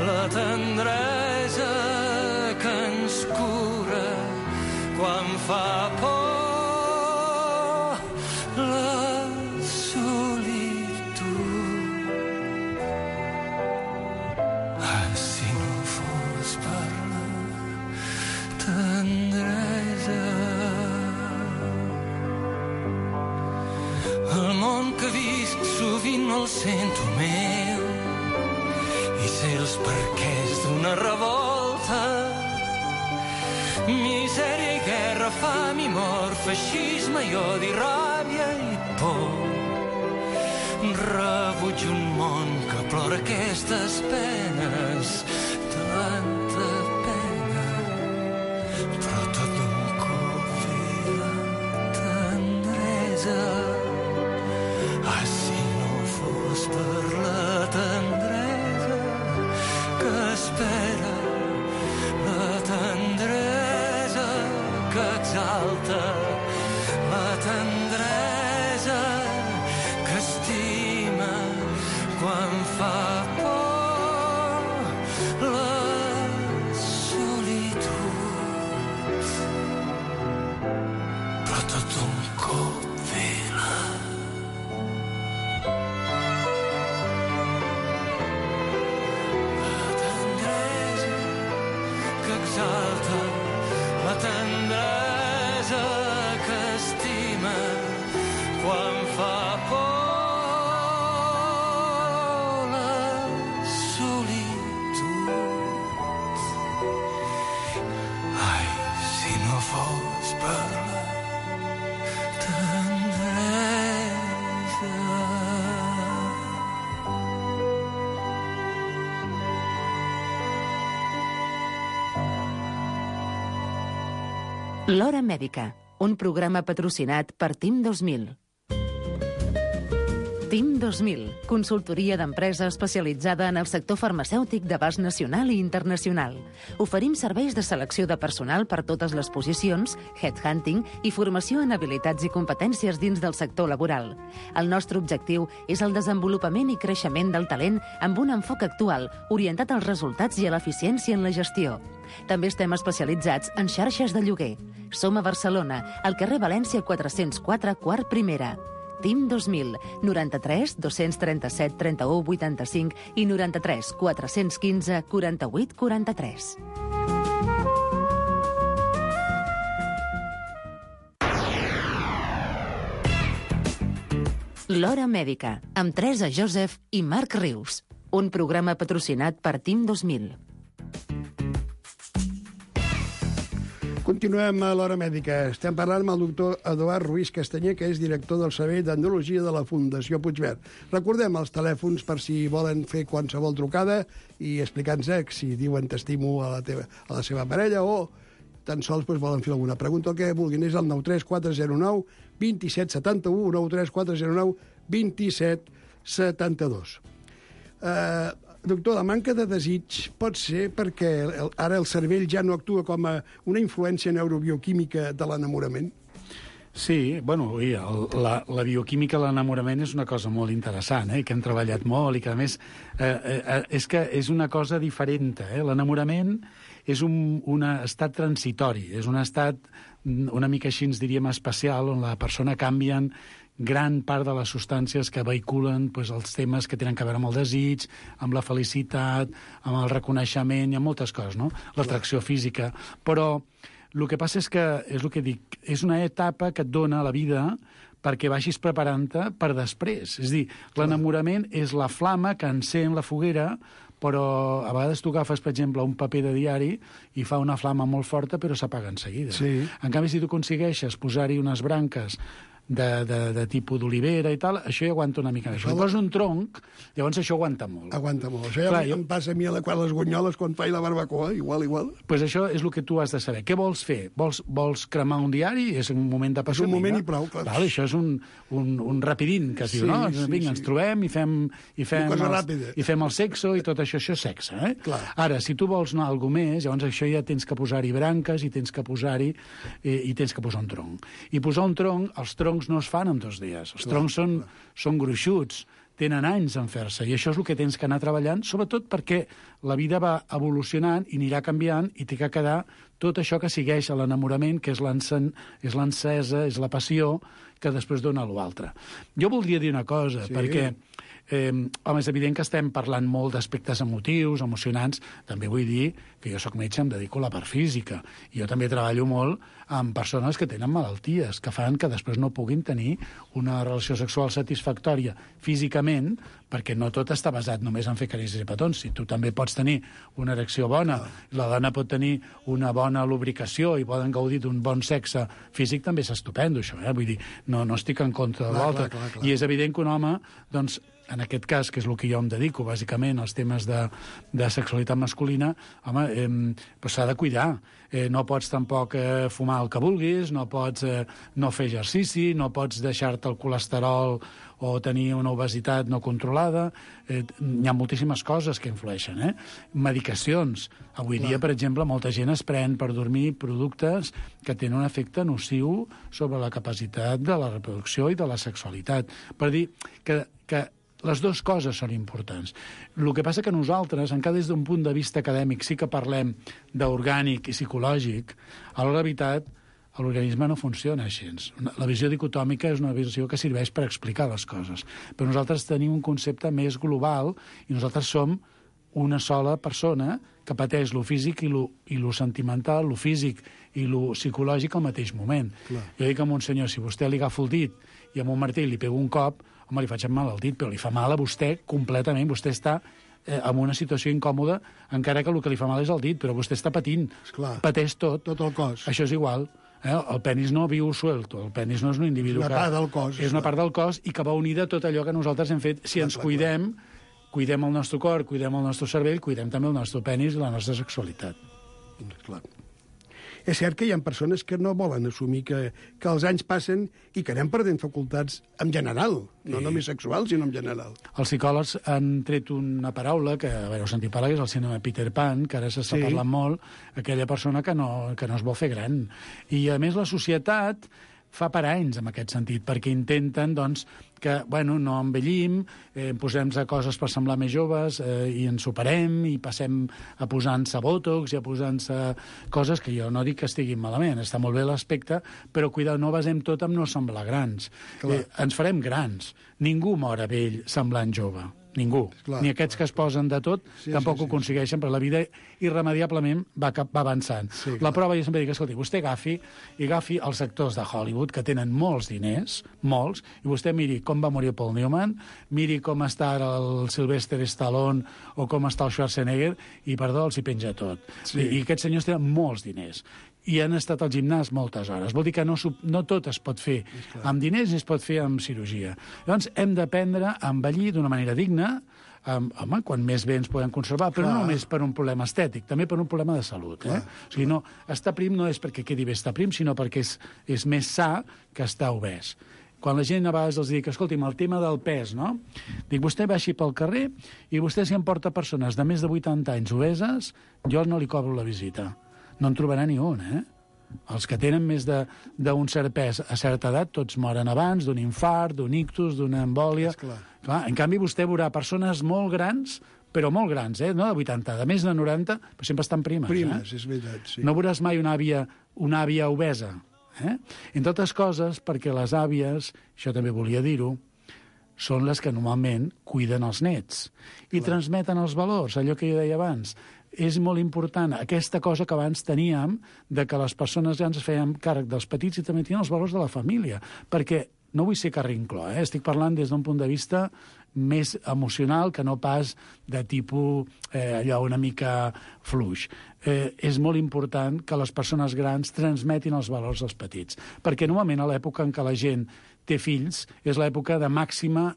Speaker 8: la tendresa que ens cura quan fa por. Sovint no el sento meu i sé els perquès d'una revolta. Misèria i guerra, fam i mort, feixisme i odi, ràbia i por. Rebuig un món que plora aquestes penes, tanta pena, però tot d'un cop ve la tendresa. exalta la tendresa, que estima quan fa por la solitud. Però tot un cop vela. La tendresa que exalta, la tendresa que estima quan fa por la solitud. Ai, si no fos per la tendresa.
Speaker 4: L'Hora Mèdica, un programa patrocinat per TIM 2000. TIM 2000, consultoria d'empresa especialitzada en el sector farmacèutic d'abast nacional i internacional. Oferim serveis de selecció de personal per totes les posicions, headhunting i formació en habilitats i competències dins del sector laboral. El nostre objectiu és el desenvolupament i creixement del talent amb un enfoc actual, orientat als resultats i a l'eficiència en la gestió. També estem especialitzats en xarxes de lloguer. Som a Barcelona, al carrer València 404, quart primera. TIM 2000, 93 237 31 85 i 93 415 48 43. L'Hora Mèdica, amb Teresa Joseph i Marc Rius. Un programa patrocinat per TIM 2000.
Speaker 6: Continuem a l'Hora Mèdica. Estem parlant amb el doctor Eduard Ruiz Castanyer, que és director del Servei d'Andrologia de la Fundació Puigverd. Recordem els telèfons per si volen fer qualsevol trucada i explicar-nos si diuen t'estimo a la seva parella o tan sols volen fer alguna pregunta o que vulguin. És el 93409 2771, 93409 2772. Doctor, la manca de desig pot ser perquè ara el cervell ja no actua com a una influència neurobioquímica de l'enamorament?
Speaker 7: Sí, bueno, la bioquímica de l'enamorament és una cosa molt interessant, que hem treballat molt i que, a més, és que és una cosa diferent. L'enamorament és un estat transitori, és un estat una mica així, ens diríem, especial, on la persona canvia gran part de les substàncies que vehiculen els temes que tenen a veure amb el desig, amb la felicitat, amb el reconeixement i amb moltes coses, no? L'atracció física. Però el que passa és que, és el que dic, és una etapa que et dona la vida perquè vagis preparant-te per després. És a dir, l'enamorament és la flama que encén la foguera, però a vegades tu agafes, per exemple, un paper de diari i fa una flama molt forta, però s'apaga en seguida.
Speaker 6: Sí.
Speaker 7: En canvi, si tu aconsegueixes posar-hi unes branques de tipus d'olivera i tal, això ja aguanta una mica. Això posa un tronc, llavors això aguanta molt.
Speaker 6: Aguanta molt. Això ja em passa a mi a les gunyoles quan faig la barbacoa, igual.
Speaker 7: Pues això és el que tu has de saber. Què vols fer? Vols cremar un diari? És un moment de passió.
Speaker 6: És un moment i prou, clar.
Speaker 7: Val, això és un rapidín, que es diu, no? Vinga, ens trobem i fem el sexo i tot això és sexe,
Speaker 6: Clar.
Speaker 7: Ara, si tu vols anar a alguna més, llavors això ja tens que posar-hi branques i tens que posar-hi un tronc. I posar un tronc, els troncs no es fan en 2 dies. Els troncs són gruixuts, tenen anys en fer-se, i això és el que tens que anar treballant, sobretot perquè la vida va evolucionant i anirà canviant i té que quedar tot això que segueix a l'enamorament, que és l'encesa, és la passió, que després dona l'altre. Jo voldria dir una cosa, perquè home, és evident que estem parlant molt d'aspectes emotius, emocionants. També vull dir que jo soc metge, em dedico a la part física. I jo també treballo molt amb persones que tenen malalties, que fan que després no puguin tenir una relació sexual satisfactòria físicament, perquè no tot està basat només en fer carícies i petons. Si tu també pots tenir una erecció bona, la dona pot tenir una bona lubricació i poden gaudir d'un bon sexe físic, també és estupendo, això. Vull dir, no estic en contra de l'altre. I és evident que un home, doncs, en aquest cas, que és el que jo em dedico, bàsicament, als temes de sexualitat masculina, home, doncs s'ha de cuidar. No pots tampoc fumar el que vulguis, no pots no fer exercici, no pots deixar-te el colesterol o tenir una obesitat no controlada. Hi ha moltíssimes coses que influeixen. Medicacions. Avui dia, per exemple, molta gent es pren per dormir productes que tenen un efecte nociu sobre la capacitat de la reproducció i de la sexualitat. Per dir que les dues coses són importants. El que passa que nosaltres, encara des d'un punt de vista acadèmic, sí que parlem d'orgànic i psicològic, a la veritat, l'organisme no funciona així. La visió dicotòmica és una visió que serveix per explicar les coses. Però nosaltres tenim un concepte més global i nosaltres som una sola persona que pateix lo físic i lo sentimental, lo físic i lo psicològic al mateix moment. Clar. Jo dic a un senyor, si vostè li agafo el dit i amb un martell li pego un cop, home, li faig mal al dit, però li fa mal a vostè completament. Vostè està en una situació incòmoda, encara que el que li fa mal és el dit, però vostè està patint.
Speaker 6: Esclar.
Speaker 7: Pateix tot.
Speaker 6: Tot el cos.
Speaker 7: Això és igual. El penis no viu suelto, el penis no és un individu.
Speaker 6: És una part del cos.
Speaker 7: És una part del cos i que va unida tot allò que nosaltres hem fet. Si ens cuidem, cuidem el nostre cor, cuidem el nostre cervell, cuidem també el nostre penis i la nostra sexualitat.
Speaker 6: Clar. És cert que hi ha persones que no volen assumir que els anys passen i que anem perdent facultats en general, no només sexuals, sinó en general.
Speaker 7: Els psicòlegs han tret una paraula que, a veure, heu sentit parlar, que és el síndrome de Peter Pan, que ara s'està parlant molt, aquella persona que no es vol fer gran. I, a més, la societat fa paranys en aquest sentit, perquè intenten, doncs, que, bueno, no envellim, posem-nos a coses per semblar més joves i ens superem i passem a posar-nos bòtox i a posar-nos coses que jo no dic que estiguin malament, està molt bé l'aspecte, però cuidado, no basem tot en no semblar grans. Ens farem grans. Ningú mor a vell semblant jove. Ningú. Ni aquests que es posen de tot tampoc ho aconsegueixen, però la vida irremediablement va avançant. La prova, jo sempre dic, escolti, vostè agafi els actors de Hollywood, que tenen molts diners, molts, i vostè miri com va morir Paul Newman, miri com està ara el Sylvester Stallone o com està el Schwarzenegger, i, perdó, els hi penja tot. I aquests senyors tenen molts diners. I han estat al gimnàs moltes hores. Vol dir que no tot es pot fer amb diners ni es pot fer amb cirurgia. Llavors, hem d'aprendre a envellir d'una manera digna, home, quan més bé ens podem conservar, però no només per un problema estètic, també per un problema de salut. O sigui, no, estar prim no és perquè quedi bé estar prim, sinó perquè és més sa que estar obès. Quan la gent a vegades els dic, escolti'm, el tema del pes, no? Dic, vostè va així pel carrer i vostè si em porta persones de més de 80 anys obeses, jo no li cobro la visita. No en trobarà ni un, Els que tenen més d'un cert pes a certa edat, tots moren abans d'un infart, d'un ictus, d'una embòlia. Clar, en canvi, vostè veurà persones molt grans, però molt grans, no de 80, de més de 90, però sempre estan primes.
Speaker 6: Primes, és veritat, sí.
Speaker 7: No veuràs mai una àvia obesa. Entre altres coses, perquè les àvies, això també volia dir-ho, són les que normalment cuiden els nets i transmeten els valors, allò que jo deia abans. És molt important aquesta cosa que abans teníem, de que les persones grans es feien càrrec dels petits i també tenien els valors de la família, perquè no vull ser carrincló, estic parlant des d'un punt de vista més emocional que no pas de tipus allò una mica fluix. És molt important que les persones grans transmetin els valors dels petits, perquè normalment a l'època en què la gent té fills és l'època de màxima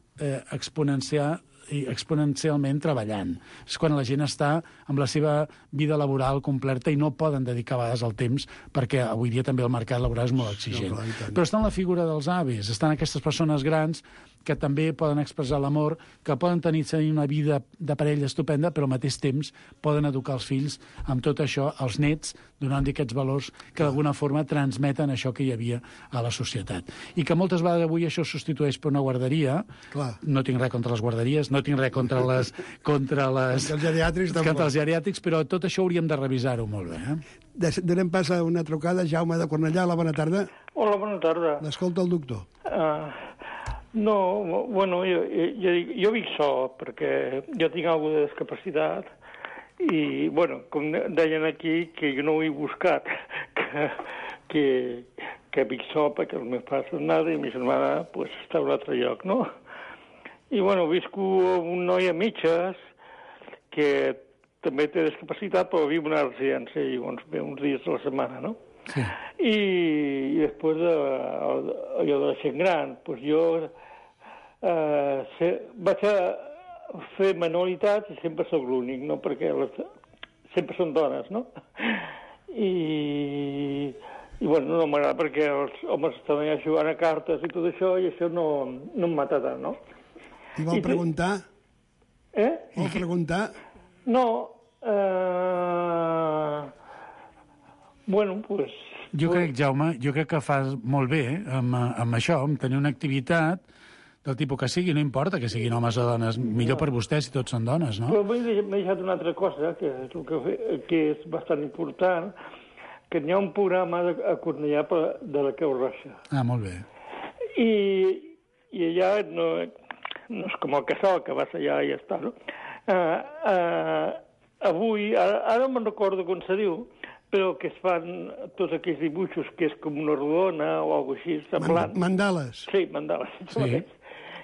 Speaker 7: exponencialment treballant. És quan la gent està amb la seva vida laboral completa i no poden dedicar a vegades el temps, perquè avui dia també el mercat laboral és molt exigent. Però està en la figura dels avis, estan aquestes persones grans que també poden expressar l'amor, que poden tenir una vida de parella estupenda, però al mateix temps poden educar els fills amb tot això, els nets, donant-li aquests valors que d'alguna forma transmeten això que hi havia a la societat. I que moltes vegades avui això substitueix per una guarderia. No tinc res contra les guarderies, no tinc res contra els geriàtrics, però tot això hauríem de revisar-ho molt bé.
Speaker 6: Donem pas a una trucada. Jaume de Cornellà, la bona tarda.
Speaker 9: Hola, bona tarda.
Speaker 6: L'escolta el doctor.
Speaker 9: No, bueno, jo vic sol, perquè jo tinc alguna de discapacitat i, bueno, com deien aquí, que jo no ho he buscat, que vic sol perquè els meus pares són nada i mi germana pues, està a un altre lloc, no? I, bueno, visco amb un noi a mitges que també té discapacitat, però viu en una residència i llavors ve uns dies a la setmana, no?
Speaker 7: Sí.
Speaker 9: I després allò de la gent gran, doncs jo vaig a fer manualitats i sempre sóc l'únic, no? Perquè sempre són dones, no? I bueno, no m'agrada perquè els homes estan allà jugant a cartes i tot això, i això no em mata tant, no?
Speaker 6: I vol preguntar? Vol preguntar?
Speaker 9: No, bueno, pues...
Speaker 7: Jo crec, Jaume, que fas molt bé amb això, amb tenir una activitat del tipus que sigui, no importa que siguin homes o dones, millor per vostès si tots són dones, no?
Speaker 9: Però m'he deixat una altra cosa, que és que és bastant important, que n'hi ha un programa a Cornellà de la Creu Roja.
Speaker 7: Ah, molt bé.
Speaker 9: I allà no és com el Casal, que vas allà i ja està, no? Avui, ara me'n recordo com se diu, però que es fan tots aquells dibuixos que és com una rodona o alguna cosa així semblant.
Speaker 6: Mandales.
Speaker 9: Sí, mandales.
Speaker 7: Sí.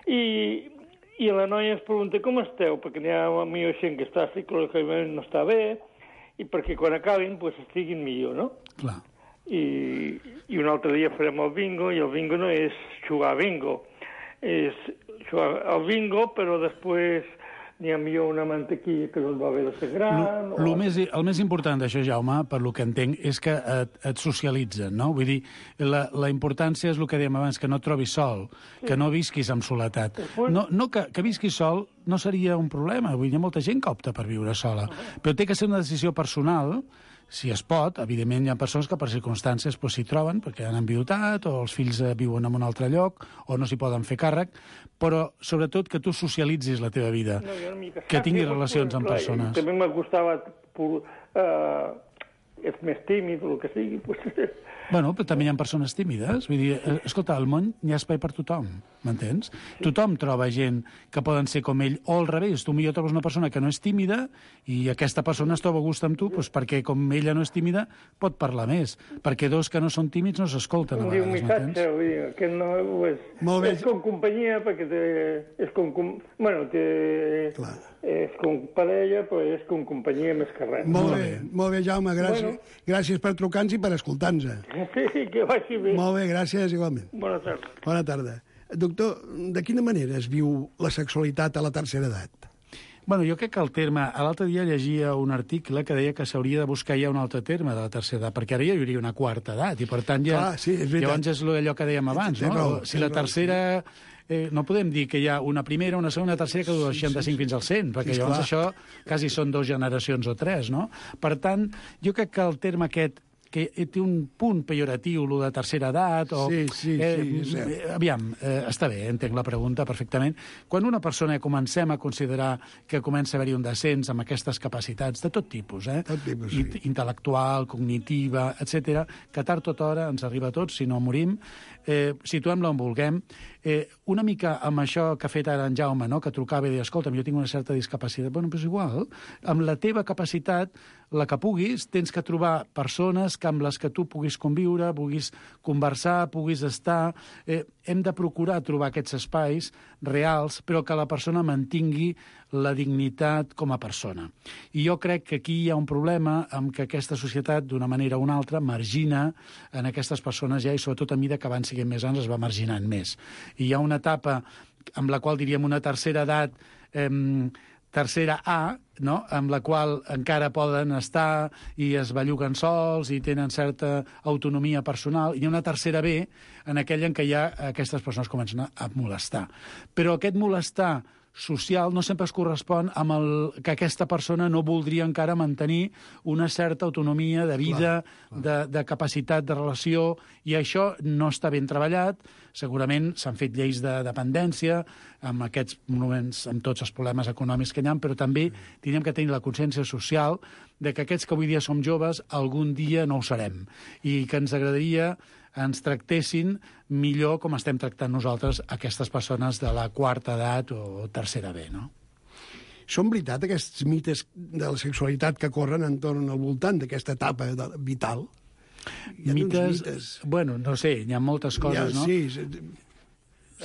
Speaker 9: I la noia es pregunta com esteu, perquè n'hi ha millor gent que està psicològicament no està bé, i perquè quan acabin pues, estiguin millor, no?
Speaker 7: Clar.
Speaker 9: I un altre dia farem el bingo, i el bingo no és jugar a bingo, és jugar al bingo, però després n'hi ha millor una mantequilla que no va haver de ser gran...
Speaker 7: El més important d'això, Jaume, per lo que entenc, és que et socialitzen, no? Vull dir, la importància és el que dèiem abans, que no et trobis sol, que no visquis amb soledat. No que visquis sol no seria un problema, vull dir, hi ha molta gent que opta per viure sola, però té que ser una decisió personal, si es pot. Evidentment hi ha persones que per circumstàncies s'hi troben, perquè han envidutat, o els fills viuen en un altre lloc, o no s'hi poden fer càrrec, però sobretot que tu socialitzis la teva vida, que tinguis relacions amb persones.
Speaker 9: També me gustava... és més tímid o el que sigui.
Speaker 7: Bueno, però també hi ha persones tímides. Vull dir, escolta, al món hi ha espai per tothom, m'entens? Tothom troba gent que poden ser com ell, o al revés. Tu millor trobes una persona que no és tímida i aquesta persona es troba a gust amb tu perquè com ella no és tímida pot parlar més, perquè dos que no són tímids no s'escolten a vegades,
Speaker 9: un missatge, vull dir, que no és com companyia, perquè és com... Bueno, és com parella, però és com companyia més que res.
Speaker 6: Molt bé, Jaume, gràcies. Gràcies per trucar-nos i per escoltar-nos.
Speaker 9: Sí, que vagi bé.
Speaker 6: Molt bé, gràcies, igualment.
Speaker 9: Bona tarda.
Speaker 6: Bona tarda. Doctor, de quina manera es viu la sexualitat a la tercera edat?
Speaker 7: Bueno, jo crec que el terme... L'altre dia llegia un article que deia que s'hauria de buscar ja un altre terme de la tercera edat, perquè ara ja hi hauria una quarta edat, i per tant ja...
Speaker 6: Sí, és veritat.
Speaker 7: Llavors és allò que dèiem abans, no? Si la tercera... no podem dir que hi ha una primera, una segona, una tercera que du del 65 fins al 100, perquè llavors això quasi són 2 generacions o 3, no? Per tant, jo crec que el terme aquest que té un punt pejoratiu, lo de tercera edat...
Speaker 6: Sí.
Speaker 7: Aviam, està bé, entenc la pregunta perfectament. Quan una persona comencem a considerar que comença a haver-hi un descens amb aquestes capacitats de tot tipus,
Speaker 6: Tot tipus, sí.
Speaker 7: Intel·lectual, cognitiva, etc., que tard o d'hora ens arriba a tots, si no morim, situem-la on vulguem. Una mica amb això que ha fet ara en Jaume, no? Que trucava i deia, escolta'm, jo tinc una certa discapacitat. Bueno, però és igual. Amb la teva capacitat, la que puguis, tens que trobar persones amb les que tu puguis conviure, puguis conversar, puguis estar. Hem de procurar trobar aquests espais reals, però que la persona mantingui la dignitat com a persona. I jo crec que aquí hi ha un problema amb que aquesta societat, d'una manera o una altra, margina en aquestes persones ja, i sobretot a mesura que van siguent més anys es va marginant més. I hi ha una etapa amb la qual diríem una tercera edat, tercera A, no? Amb la qual encara poden estar i es belluguen sols i tenen certa autonomia personal, i hi ha una tercera B en aquella en què ja aquestes persones comencen a molestar. Però aquest molestar social no sempre es correspon amb el que aquesta persona no voldria encara mantenir una certa autonomia de vida, de capacitat de relació, i això no està ben treballat. Segurament s'han fet lleis de dependència amb aquests moments, amb tots els problemes econòmics que hi ha, però també tenim que tenir la consciència social de que aquests que avui dia som joves algun dia no ho serem, i que ens agradaria ens tractessin millor com estem tractant nosaltres aquestes persones de la quarta edat o tercera B, no?
Speaker 6: Són veritat aquests mites de la sexualitat que corren entorn al voltant d'aquesta etapa vital?
Speaker 7: Mites? Bueno, no sé, hi ha moltes coses, no?
Speaker 6: Sí,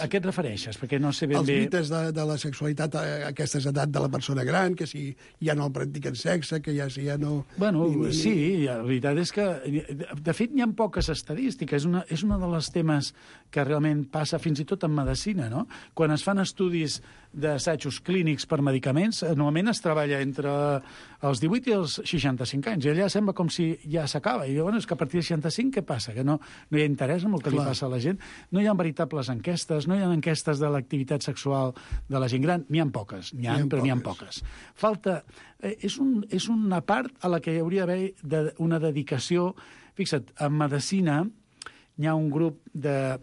Speaker 7: A què et refereixes? Perquè no sé ben
Speaker 6: Els
Speaker 7: bé...
Speaker 6: mites de la sexualitat a aquesta edat de la persona gran, que si ja no el practiquen sexe, que ja no...
Speaker 7: Bueno, sí, la veritat és que... De fet, n'hi ha poques estadístiques. És una de les temes que realment passa fins i tot en medicina, no? Quan es fan estudis d'assajos clínics per medicaments, normalment es treballa entre els 18 i els 65 anys. I allà sembla com si ja s'acaba. I bueno, és que a partir de 65 què passa? Que no hi ha interès en el que li passa a la gent. No hi ha veritables enquestes, no hi ha enquestes de l'activitat sexual de la gent gran. N'hi ha poques, però n'hi ha poques. Falta... És una part a la que hi hauria d'haver una dedicació. Fixa't, en medicina hi ha un grup de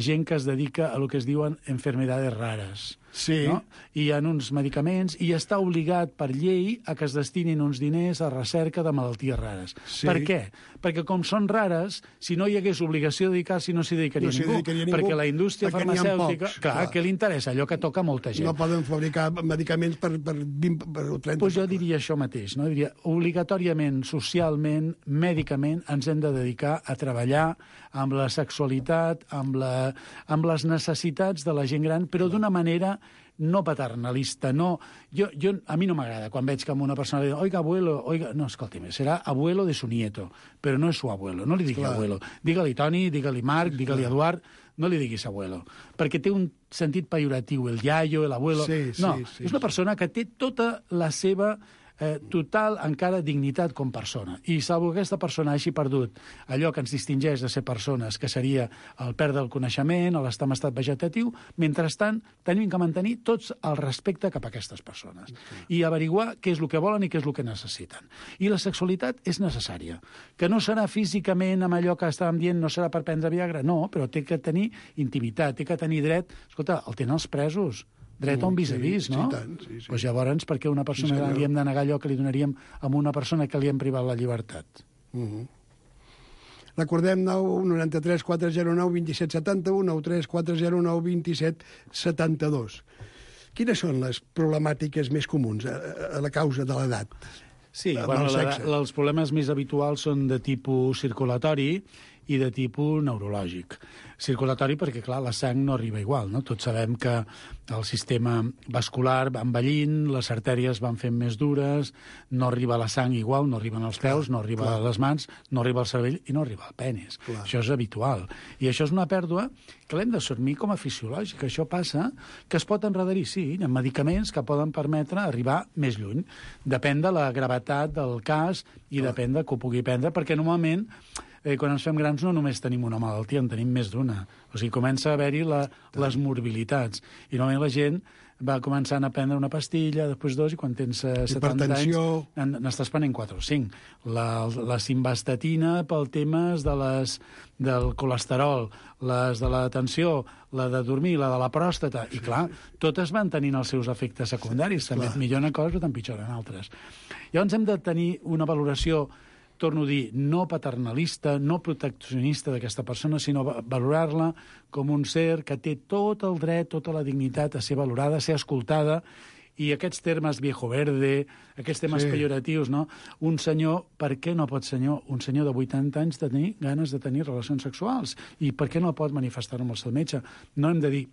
Speaker 7: gent que es dedica a lo que es diuen enfermedades rares.
Speaker 6: Sí.
Speaker 7: No? I hi ha uns medicaments i està obligat per llei a que es destinin uns diners a recerca de malalties rares.
Speaker 6: Sí.
Speaker 7: Per què? Perquè com són rares, si no hi hagués obligació de dedicar-s'hi, no s'hi dedicaria ningú. Perquè la indústria farmacèutica... Clar, que li interessa allò que toca a molta gent.
Speaker 6: No poden fabricar medicaments per 20 o 30...
Speaker 7: Pues jo diria això mateix, no? Diria, obligatòriament, socialment, mèdicament, ens hem de dedicar a treballar amb la sexualitat, amb les necessitats de la gent gran, però d'una manera no paternalista, no... A mi no m'agrada quan veig que una persona diu oiga, abuelo, oiga... No, escolti'm, serà abuelo de su nieto, però no és su abuelo, no li digui abuelo. Digue-li Toni, digue-li Marc, digue-li Eduard, no li diguis abuelo, perquè té un sentit pejoratiu, el iaio, l'abuelo... No, és una persona que té tota la seva total encara dignitat com persona. I salvo que aquesta persona hagi perdut allò que ens distingeix de ser persones, que seria el perdre el coneixement, l'estar en estat vegetatiu, mentrestant tenim que mantenir tots el respecte cap a aquestes persones i averiguar què és el que volen i què és el que necessiten. I la sexualitat és necessària. Que no serà físicament amb allò que estàvem dient, no serà per prendre Viagra, no, però té que tenir intimitat, té que tenir dret... Escolta, el tenen els presos. Dret a un vis-a-vis, no?
Speaker 6: Sí, tant, sí.
Speaker 7: Doncs llavors, per què una persona gran li hem de negar allò que li donaríem a una persona que li hem privat la llibertat?
Speaker 6: Recordem 93 409 27 71, 93 409 27 72. Quines són les problemàtiques més comuns a la causa de l'edat?
Speaker 7: Sí, bueno, els problemes més habituals són de tipus circulatori i de tipus neurològic. Circulatori perquè, clar, la sang no arriba igual, no? Tots sabem que el sistema vascular va envellint, les artèries van fent més dures, no arriba la sang igual, no arriben als peus, no arriba a les mans, no arriba al cervell i no arriba al penis. Això és habitual. I això és una pèrdua que l'hem d'assumir com a fisiològica. Això passa que es pot enredarir, sí, hi ha medicaments que poden permetre arribar més lluny. Depèn de la gravetat del cas i depèn de que ho pugui prendre, perquè normalment quan ens fem grans no només tenim una malaltia, en tenim més d'una. O sigui, comença a haver-hi les morbilitats. I normalment la gent va començant a prendre una pastilla, després dos, i quan tens 70 anys n'estàs prenent 4 o 5. La simvastatina pel temes del colesterol, les de la tensió, la de dormir, la de la pròstata, i clar, totes van tenint els seus efectes secundaris. També et milloren coses, però t'empitjoren altres. Llavors hem de tenir una valoració, torno a dir, no paternalista, no proteccionista d'aquesta persona, sinó valorar-la com un ser que té tot el dret, tota la dignitat a ser valorada, a ser escoltada, i aquests termes viejo verde, aquests temes pejoratius, no? Un senyor, per què no pot un senyor de 80 anys tenir ganes de tenir relacions sexuals? I per què no pot manifestar-ho amb el seu metge? No hem de dir,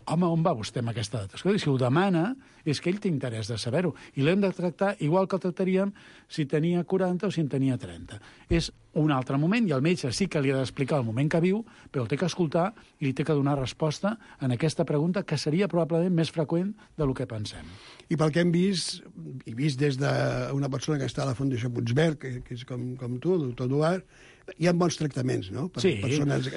Speaker 7: home, on va vostè amb aquesta edat? Escolta, si ho demana, és que ell té interès de saber-ho. I l'hem de tractar igual que el tractaríem si tenia 40 o si en tenia 30. És un altre moment, i el metge sí que li ha d'explicar el moment que viu, però el té que escoltar i li té que donar resposta en aquesta pregunta, que seria probablement més freqüent del que pensem.
Speaker 6: I pel que hem vist, i vist des d'una persona que està a la Fundació Puigverd, que és com tu, el doctor Eduard, hi ha bons tractaments, no? Per persones...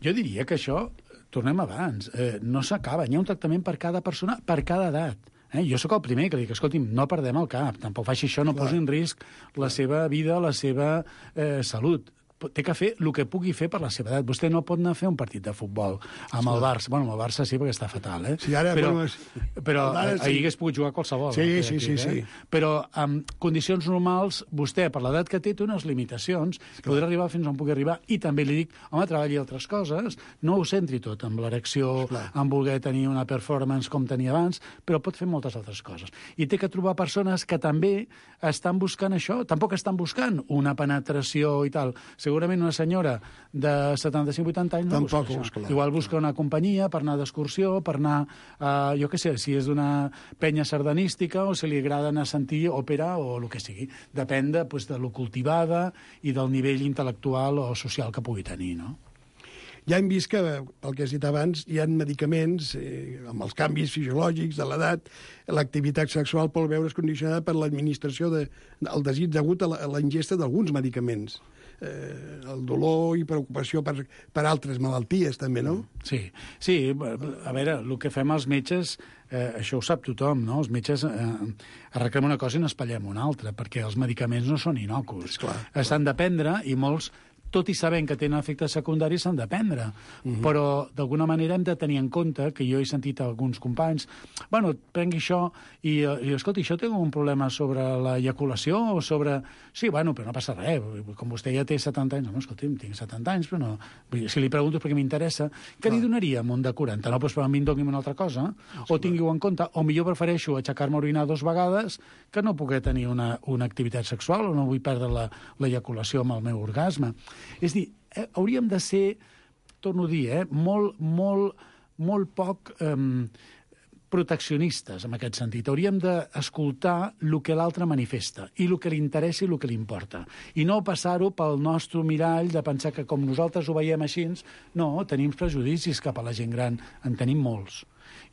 Speaker 7: Jo diria que això... Tornem abans, no s'acaba. Hi ha un tractament per cada persona, per cada edat. Jo sóc el primer que dic, escolti'm, no perdem el cap, tampoc faci això, no posi en risc la seva vida, la seva salut. Té que fer el que pugui fer per la seva edat. Vostè no pot anar a fer un partit de futbol amb el Barça. Bueno, amb el Barça sí, perquè està fatal,
Speaker 6: Sí, ara,
Speaker 7: però ahir hagués pogut jugar qualsevol.
Speaker 6: Sí.
Speaker 7: Però en condicions normals, vostè, per l'edat que té unes limitacions, podrà arribar fins on pugui arribar. I també li dic, home, treballi altres coses, no ho centri tot amb l'erecció, en voler tenir una performance com tenia abans, però pot fer moltes altres coses. I té que trobar persones que també estan buscant això, tampoc estan buscant una penetració i tal. segurament una senyora de 75-80 anys no
Speaker 6: Tampoc
Speaker 7: busca
Speaker 6: busca,
Speaker 7: això. Igual busca una companyia per anar d'excursió, per anar, jo què sé, si és d'una penya sardanística o si li agrada anar a sentir òpera o el que sigui. Depèn de lo cultivada i del nivell intel·lectual o social que pugui tenir, no?
Speaker 6: Ja hem vist que, pel que has dit abans, hi ha medicaments, amb els canvis fisiològics de l'edat, l'activitat sexual pot veure's condicionada per l'administració del desig degut a la ingesta d'alguns medicaments. El dolor i preocupació per altres malalties, també, no?
Speaker 7: Sí, a veure, el que fem els metges, això ho sap tothom, no? Els metges arreglem una cosa i n'espatllem una altra, perquè els medicaments no són innocus. S'han de prendre i molts, tot i sabent que tenen efectes secundaris, s'han de prendre. Però, d'alguna manera, hem de tenir en compte, que jo he sentit alguns companys, bueno, prengui això, i escolta, això té un problema sobre l'eyaculació o sobre... Sí, bueno, però no passa res, com vostè ja té 70 anys, no, escolti'm, tinc 70 anys, però no... Si li pregunto perquè m'interessa, què li donaríem un de 40? No, doncs per a mi em doni'm una altra cosa, o tingui-ho en compte, o millor prefereixo aixecar-me a orinar 2 vegades que no poder tenir una activitat sexual o no vull perdre l'eyaculació amb el meu orgasme. És a dir, hauríem de ser, torno a dir, molt poc proteccionistes en aquest sentit. Hauríem d'escoltar el que l'altre manifesta i el que li interessa i el que li importa. I no passar-ho pel nostre mirall de pensar que com nosaltres ho veiem així, no, tenim prejudicis cap a la gent gran, en tenim molts.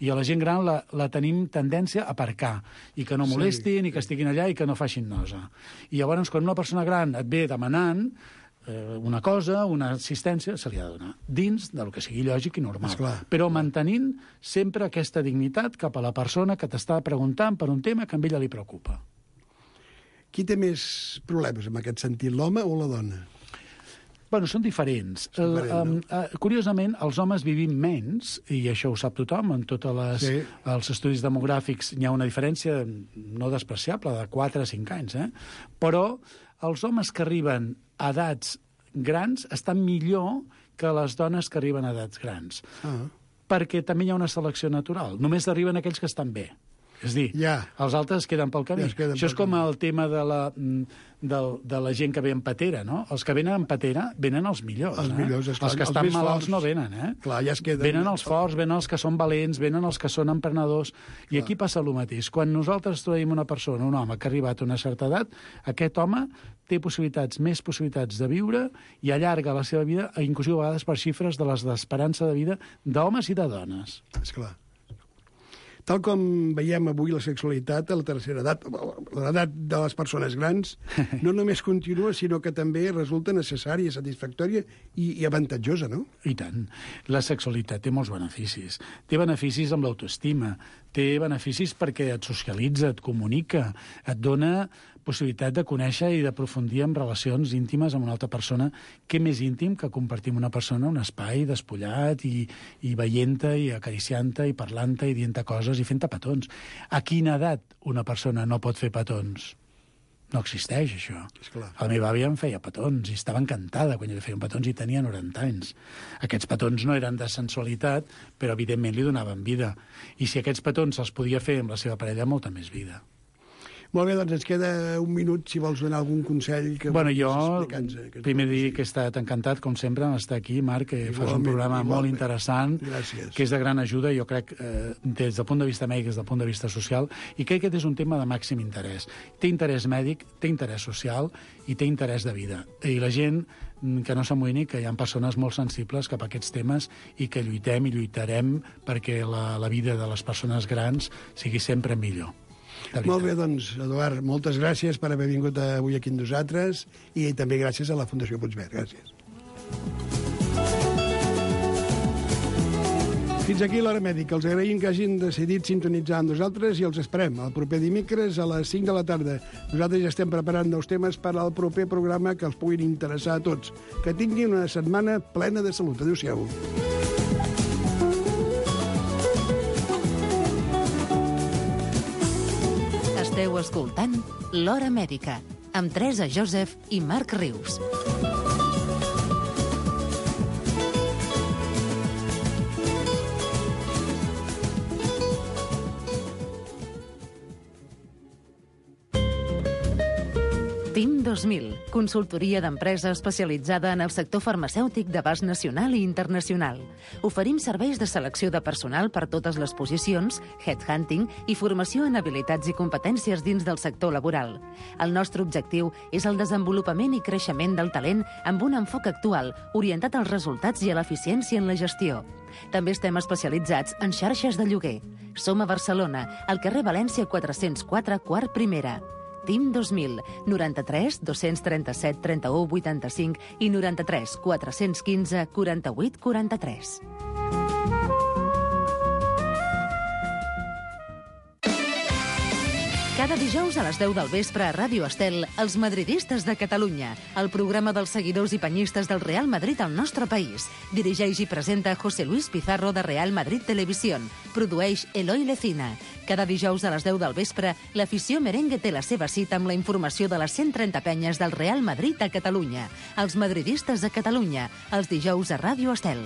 Speaker 7: I a la gent gran la tenim tendència a aparcar, i que no molestin, i que estiguin allà, i que no facin nosa. I llavors, quan una persona gran et ve demanant una cosa, una assistència, se li ha de donar, dins del que sigui lògic i normal. Però mantenint sempre aquesta dignitat cap a la persona que t'està preguntant per un tema que a ella li preocupa.
Speaker 6: Qui té més problemes en aquest sentit, l'home o la dona?
Speaker 7: Bueno, són diferents. Curiosament, els homes vivim menys, i això ho sap tothom, en tots els estudis demogràfics hi ha una diferència no despreciable, de 4 a 5 anys, però els homes que arriben a edats grans estan millor que les dones que arriben a edats grans. Perquè també hi ha una selecció natural. Només arriben aquells que estan bé. És dir, els altres queden pel camí. Això és com el tema de la gent que ve en patera, no? Els que venen en patera venen els millors. Els que estan malalts no venen, Venen els forts, venen els que són valents, venen els que són emprenedors. I aquí passa el mateix. Quan nosaltres trobem una persona, un home que ha arribat a una certa edat, aquest home té més possibilitats de viure i allarga la seva vida, inclús a vegades per xifres de les d'esperança de vida d'homes i de dones.
Speaker 6: Esclar. Tal com veiem avui la sexualitat a la tercera edat, l'edat de les persones grans, no només continua, sinó que també resulta necessària, satisfactòria i avantatjosa, no?
Speaker 7: I tant. La sexualitat té molts beneficis. Té beneficis amb l'autoestima, té beneficis perquè et socialitza, et comunica, et dona possibilitat de conèixer i d'aprofundir en relacions íntimes amb una altra persona. Què més íntim que compartir amb una persona un espai despullat i veient-te i acariciant-te i parlant-te i dient-te coses i fent-te petons. A quina edat una persona no pot fer petons? No existeix, això. La meva àvia em feia petons i estava encantada quan jo li feia petons i tenia 90 anys. Aquests petons no eren de sensualitat, però evidentment li donaven vida. I si aquests petons els podia fer amb la seva parella, molta més vida.
Speaker 6: Molt bé, doncs ens queda un minut, si vols donar algun consell que
Speaker 7: jo primer dir que he estat encantat, com sempre, d'estar aquí, Marc, que fas un programa molt interessant, que és de gran ajuda, jo crec, des del punt de vista mèdic, des del punt de vista social, i crec que aquest és un tema de màxim interès. Té interès mèdic, té interès social i té interès de vida. I la gent que no s'amoïni, que hi ha persones molt sensibles cap a aquests temes i que lluitem i lluitarem perquè la vida de les persones grans sigui sempre millor.
Speaker 6: Molt bé, doncs, Eduard, moltes gràcies per haver vingut avui aquí amb nosaltres i també gràcies a la Fundació Puigverd. Gràcies. Fins aquí l'Hora Mèdica. Els agraïm que hagin decidit sintonitzar amb nosaltres i els esperem el proper dimecres a les 5 de la tarda. Nosaltres ja estem preparant nous temes per al proper programa que els puguin interessar a tots. Que tinguin una setmana plena de salut. Adéu-siau.
Speaker 4: Esteu escoltant l'Hora Mèdica amb Teresa Joseph i Marc Rius. Team 2000, consultoria d'empresa especialitzada en el sector farmacèutic d'abast nacional i internacional. Oferim serveis de selecció de personal per totes les posicions, headhunting i formació en habilitats i competències dins del sector laboral. El nostre objectiu és el desenvolupament i creixement del talent amb un enfoc actual, orientat als resultats i a l'eficiència en la gestió. També estem especialitzats en xarxes de lloguer. Som a Barcelona, al carrer València 404, quart primera. TIM 2000, 93 237 31 85 i 93 415 48 43. Cada dijous a les 10 del vespre a Ràdio Estel, Els madridistes de Catalunya, el programa dels seguidors i penyistes del Real Madrid al nostre país. Dirigeix i presenta José Luis Pizarro de Real Madrid Televisión. Produeix Eloi Lecina. Cada dijous a les 10 del vespre, l'afició merengue té la seva cita amb la informació de les 130 penyes del Real Madrid a Catalunya. Els madridistes de Catalunya, els dijous a Ràdio Estel.